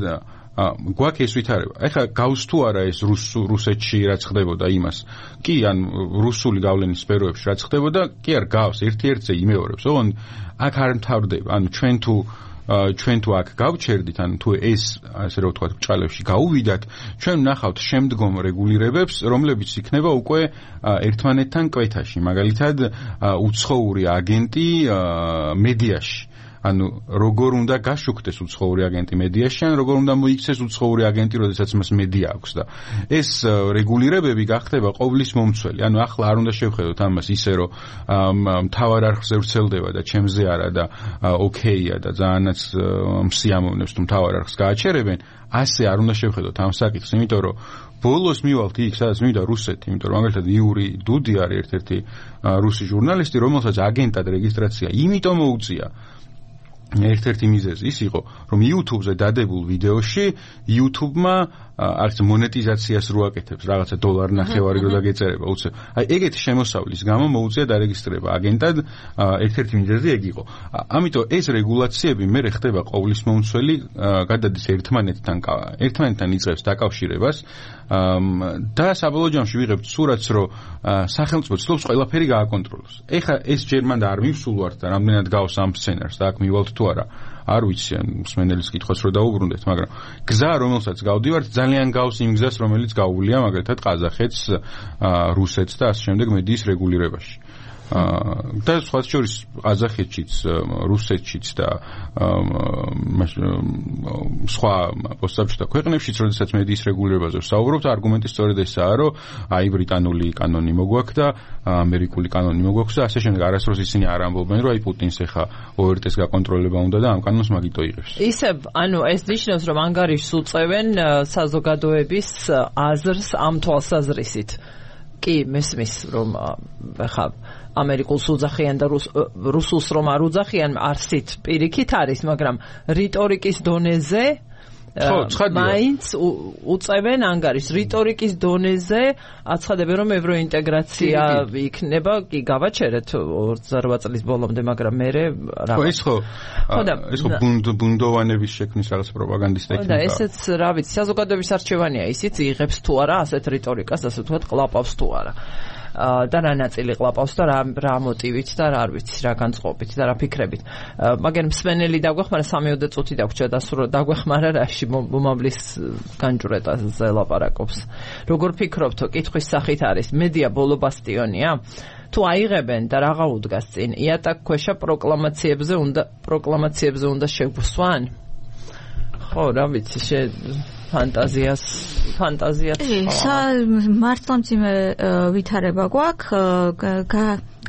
გვაქვს ეს ვითარება. ეხლა გავს თუ არა ეს რუსეთში რაც ხდებოდა იმას? კი, ან რუსული გავლენის სფეროებში რაც ხდებოდა, კი არ გავს, ერთ-ერთზე იმეორებს. ოღონდ აქ არ მთავრდება. ანუ ჩვენ თუ ჩვენ თუ აქ გავჩერდით, ან თუ ეს ასე რომ ვთქვათ, ბჭყალებში გაუვიდათ, ჩვენ ვნახავთ შემდგომ რეგულირებებს, რომლებიც იქნება უკვე ერთმანეთთან კვეთაში. მაგალითად, უცხოური აგენტი მედიაში. ანუ როგორ უნდა გაშუქდეს უცხოური აგენტი მედიაში, ან როგორ უნდა მოიქცეს უცხოური აგენტი, როდესაც მას მედია აქვს და ეს რეგულირებები გახდება ყოვლის მომცველი. ანუ ახლა არ უნდა შევხედოთ ამას ისე, რომ მთავარ არხზე ვრცელდება და ჩემზე არა და ოკეია და ძალიანაც მსიამოვნებს თუ მთავარ არხს გააჩერებენ, ასე არ უნდა შევხედოთ ამ საკითხს, იმიტომ რომ ბოლოს მივალთ იქ, სადაც მივიდა რუსეთი, იმიტომ რომ მაგალითად იური დუდი არის ერთ-ერთი რუსი ჟურნალისტი, რომელსაც აგენტად რეგისტრაცია იმიტომ მოუწია. ერთ-ერთი მიზეზი ის იყო, რომ YouTube-ზე დადებულ ვიდეოში YouTube-მა არც მონეტიზაციას რო აკეთებს, რაღაცა დოლარი ნახევარი რო დაგეწერება, უცებ. აი ეგეთი შემოსავლის გამო მოუწია დარეგისტრირება აგენტად, ერთ-ერთი მიზეზი ეგ იყო. ამიტომ ეს რეგულაციები მე ხდება ყოვლის მომცველი, გადადის ერთმანეთთან, ერთმანეთთან იწყებს დაკავშირებას და საბოლოო ჯამში ვიღებთ სურათს, რომ სახელმწიფო ცდილობს ყველაფერი გააკონტროლოს. ეხლა ეს ჯერ მანდ არ მივსულვართ და რამდენად გავს ამ სცენარს და აქ მივალთ თუ არა. არ ვიცი, ან მსმენელის კითხვას რო დაუბრუნდეთ, მაგრამ გზა, რომელსაც გავდივართ, ძალიან გავს იმ გზას, რომელიც გაუვლია მაგალითად ყაზახეთს, რუსეთს და ასე შემდეგ მედიის რეგულირებაში. და სხვა შორის ყაზახეთშიც, რუსეთშიც და სხვა პოსტსაბჭოთა ქვეყნებშიც, როდესაც მედიის რეგულირებაზე ვსაუბრობთ, არგუმენტი სწორედ ესაა, რომ აი ბრიტანული კანონი მოგვაქვს და ამერიკული კანონი მოგვაქვს და ასე შემდეგ. არასდროს ისინი არ ამბობენ, რომ აი პუტინს ეხა ო ერ ტეს გაკონტროლება უნდა და ამ კანონს მაგიტო იღებს. ისევ, ანუ ეს ნიშნავს, რომ ანგარიშს უწევენ საზოგადოების აზრს ამ თვალსაზრისით. კი, მესმის, რომ ეხა ამერიკულს უძახიან და რუსულს რომ არ უძახიან, არსით პირიქით არის, მაგრამ რიტორიკის დონეზე მაინც უწევენ ანგარიშს. რიტორიკის დონეზე აცხადებენ, რომ ევროინტეგრაცია იქნება, კი გავაჩერეთ ოცდაოთხ წლის ბოლომდე, მაგრამ მე რა ხო ის ხო ეს ხო ბუნდოვანების შექმნის რაღაც პროპაგანდის ტექნიკა. და ესეც რა ვიცი, საზოგადოების არჩევანია, ისიც იღებს თუ არა ასეთ რიტორიკას, ასე ვთქვათ, ყლაპავს თუ არა. და რა ნაწილი ყლაპავს და რა რა მოტივით და რა არ ვიცი, რა განწყობით და რა ფიქრებით. მაგრამ მსმენელი დაგვეხმარა სამიოდე წუთი დაგვრჩა დასრულო დაგვეხმარა რაში მომავლის განჭვრეტაზე ლაპარაკობს. როგორ ფიქრობთო, კითხვის სახით არის, მედია ბოლო ბასტიონია? თუ აიღებენ და რაღა უდგას წინ, იატაკქვეშა პროკლამაციებზე უნდა პროკლამაციებზე უნდა შეგვსვან? ხო, რა ვიცი, შე ფანტაზიას ფანტაზიას ესა მართლამძიმე ვითარება გვაქვს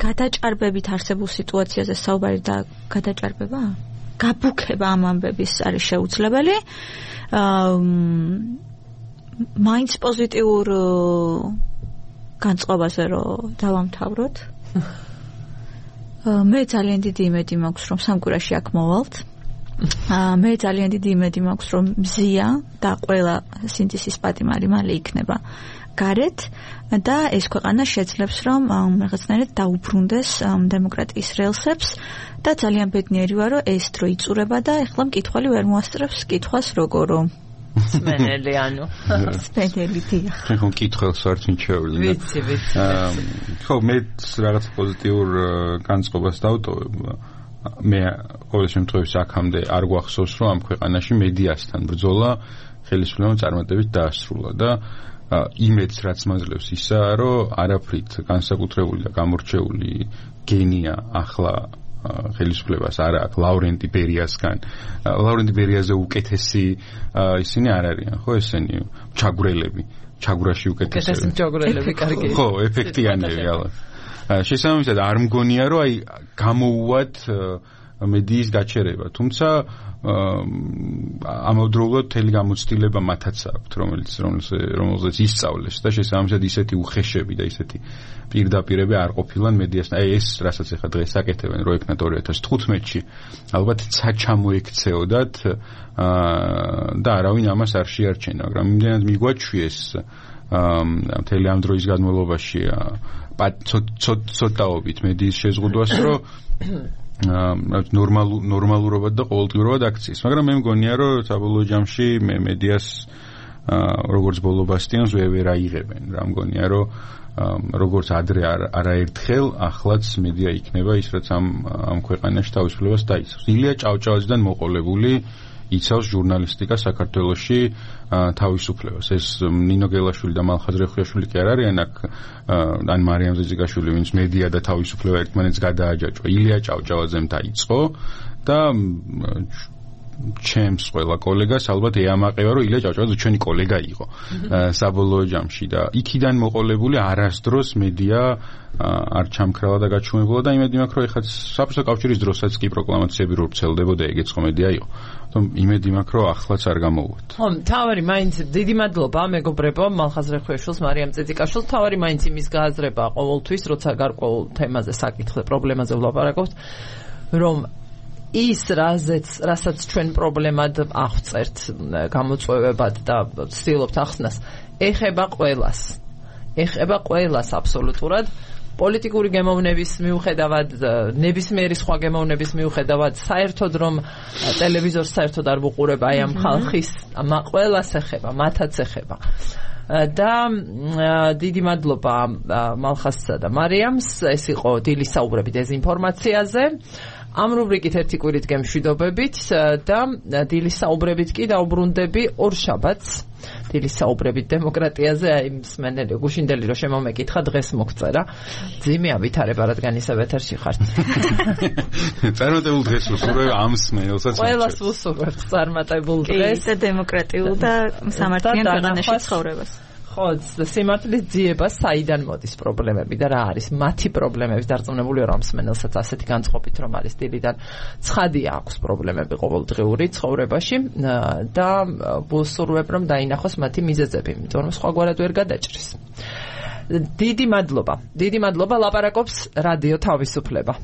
გადაჭარბებით არსებულ სიტუაციაზე საუბარი და გადაჭარბება გაბუქება ამ ამბების არის შეუძლებელი მაინც პოზიტიურ განწყობაზე რომ დავამთავროთ მე ძალიან დიდი იმედი მაქვს რომ სამკვირაში აქ მოვალთ მე ძალიან დიდი იმედი მაქვს რომ მზია და ყველა სინდისის პატიმარი მალე იქნება გარეთ და ეს ქვეყანა შეძლებს რომ რაღაცნაირად დაუბრუნდეს დემოკრატიის რელსებს და ძალიან ბედნიერი ვარ რომ ეს დრო იწურება და ეხლა მკითხველი ვერ მოასწრებს კითხვას როგორო სმენელი ანუ სპენელი დია ჩვენ ხომ კითხველს ვართ მինჩეული ვიცი ვიცი ხო მე რაღაც პოზიტიურ განწყობას დავტოვებ მე ყოველ შემთხვევაში აქამდე არ გვახსოვს რომ ამ ქვეყანაში მედიასთან ბრძოლა ხელისუფლებამ წარმატებით დაასრულა და იმედს რაც მაძლევს ისაა რომ არაფრით განსაკუთრებული და გამორჩეული გენია ახლა ხელისუფლებას არ აქვს ლავრენტი ბერიასგან. ლავრენტი ბერიაზე უკეთესი ისინი არ არიან, ხო ესენი ჩაგვრელები, ჩაგვრაში უკეთესი. უკეთესი ჩაგვრელები კარგი. ხო, ეფექტიანები ალბათ. შესაბამისად არ მგონია რომ აი გამოუვათ მედიის გაჩერება, თუმცა ამავდროულად მთელი გამოცდილება მათაც აქვთ, რომელიც რომელზეც ისწავლეს და შესაბამისად ისეთი უხეშები და ისეთი პირდაპირები არ ყოფილან მედიასთან. აი ეს რასაც ახლა დღეს აკეთებენ, რო ეკნათ ორი ათას თხუთმეტში, ალბათ ცა ჩამოექცეოდათ და არავინ ამას არ შეარჩენა, მაგრამ იმდენად მიგვაჩვიეს მთელი ამ დროის განმავლობაში ცოტაობით მედიის შეზღუდვას, რომ ნორმალ ნორმალურობად და ყოველდღიურად აქციის. მაგრამ მე მგონია, რომ საბოლოო ჯამში მე მედიას როგორც ბოლო ბასტიონს ვერ აიღებენ. რა მგონია, რომ როგორც ადრე არაერთხელ ახლაც მედია იქნება ის, რაც ამ ამ ქვეყანაში თავისუფლებას დაიცავს. ილია ჭავჭავაძიდან მოყოლებული იცავს ჟურნალისტიკა საქართველოში თავისუფლებას. ეს ნინო გელაშვილი და მალხაზ რეხუიაშვილი კი არ არიან აქ, ან მარიამ ზეძიგაშვილი, ვინც მედია და თავისუფლება ერთმანეთს გადააჯაჭვა. ილია ჭავჭავაძემ დაიწყო და ჩემს ყველა კოლეგას ალბათ ეამაყება, რომ ილია ჭავჭავაძე ჩვენი კოლეგა იყო საბოლოო ჯამში და იქიდან მოყოლებული არასდროს მედია არ ჩამქრალა და გაჩუმებულა და იმედი მაქვს, რომ ეხლა საბჭოთა კავშირის დროსაც კი პროკლამაციები რო ვრცელდებოდა, ეგეც ხო მედია იყო. თუმცა იმედი მაქვს, რომ ახლაც არ გამოვუვათ. ხო, თავარი მაინც დიდი მადლობა მეგობრებო, მალხაზ რეხუიაშვილს, მარიამ წეწიკაშვილს, თავარი მაინც იმის გააზრება ყოველთვის, როცა გარკვეულ თემაზე საკითხზე, პრობლემაზე ვლაპარაკობთ, რომ ის რაზეც, რასაც ჩვენ პრობლემად აღწერთ გამოწვევებად და ვცდილობთ ახსნას, ეხება ყველას. ეხება ყველას აბსოლუტურად. პოლიტიკური გემოვნების მიუხედავად, ნებისმიერი სხვა გემოვნების მიუხედავად, საერთოდ რომ ტელევიზორს საერთოდ არ ვუყურებ აი ამ ხალხის, ყველას ეხება, მათაც ეხება. და დიდი მადლობა მალხაზსა და მარიამს, ეს იყო დილის საუბრები დეზინფორმაციაზე. ამ რუბრიკით ერთი კვირით გემშვიდობებით და დილის საუბრებით კი დაუბრუნდები ორ შაბათს. დილის საუბრებით დემოკრატიაზე, აი მსმენელი გუშინდელი რომ შემომეკითხა, დღეს მოგწერა. ძიმე ავითარება, რადგან ისევ ეთერში ხართ. წარმატებულ დღეს ვუსურვებ ამ მსმენელსაც. ყველას ვუსურვებთ წარმატებულ დღეს და დემოკრატიულ და სამართლიან ქვეყანაში ცხოვრებას. ხო, სიმართლის ძიება საიდან მოდის პრობლემები და რა არის მათი პრობლემების დარწმუნებული რომ მსმენელსაც ასეთი განწყობით რომ არის დილიდან ცხადია აქვს პრობლემები ყოველდღიური ცხოვრებაში და ვუსურვებ რომ დაინახოს მათი მიზეზები, იმიტომ რომ სხვაგვარად ვერ გადაჭრის. დიდი მადლობა. დიდი მადლობა, ლაპარაკობს რადიო თავისუფლება.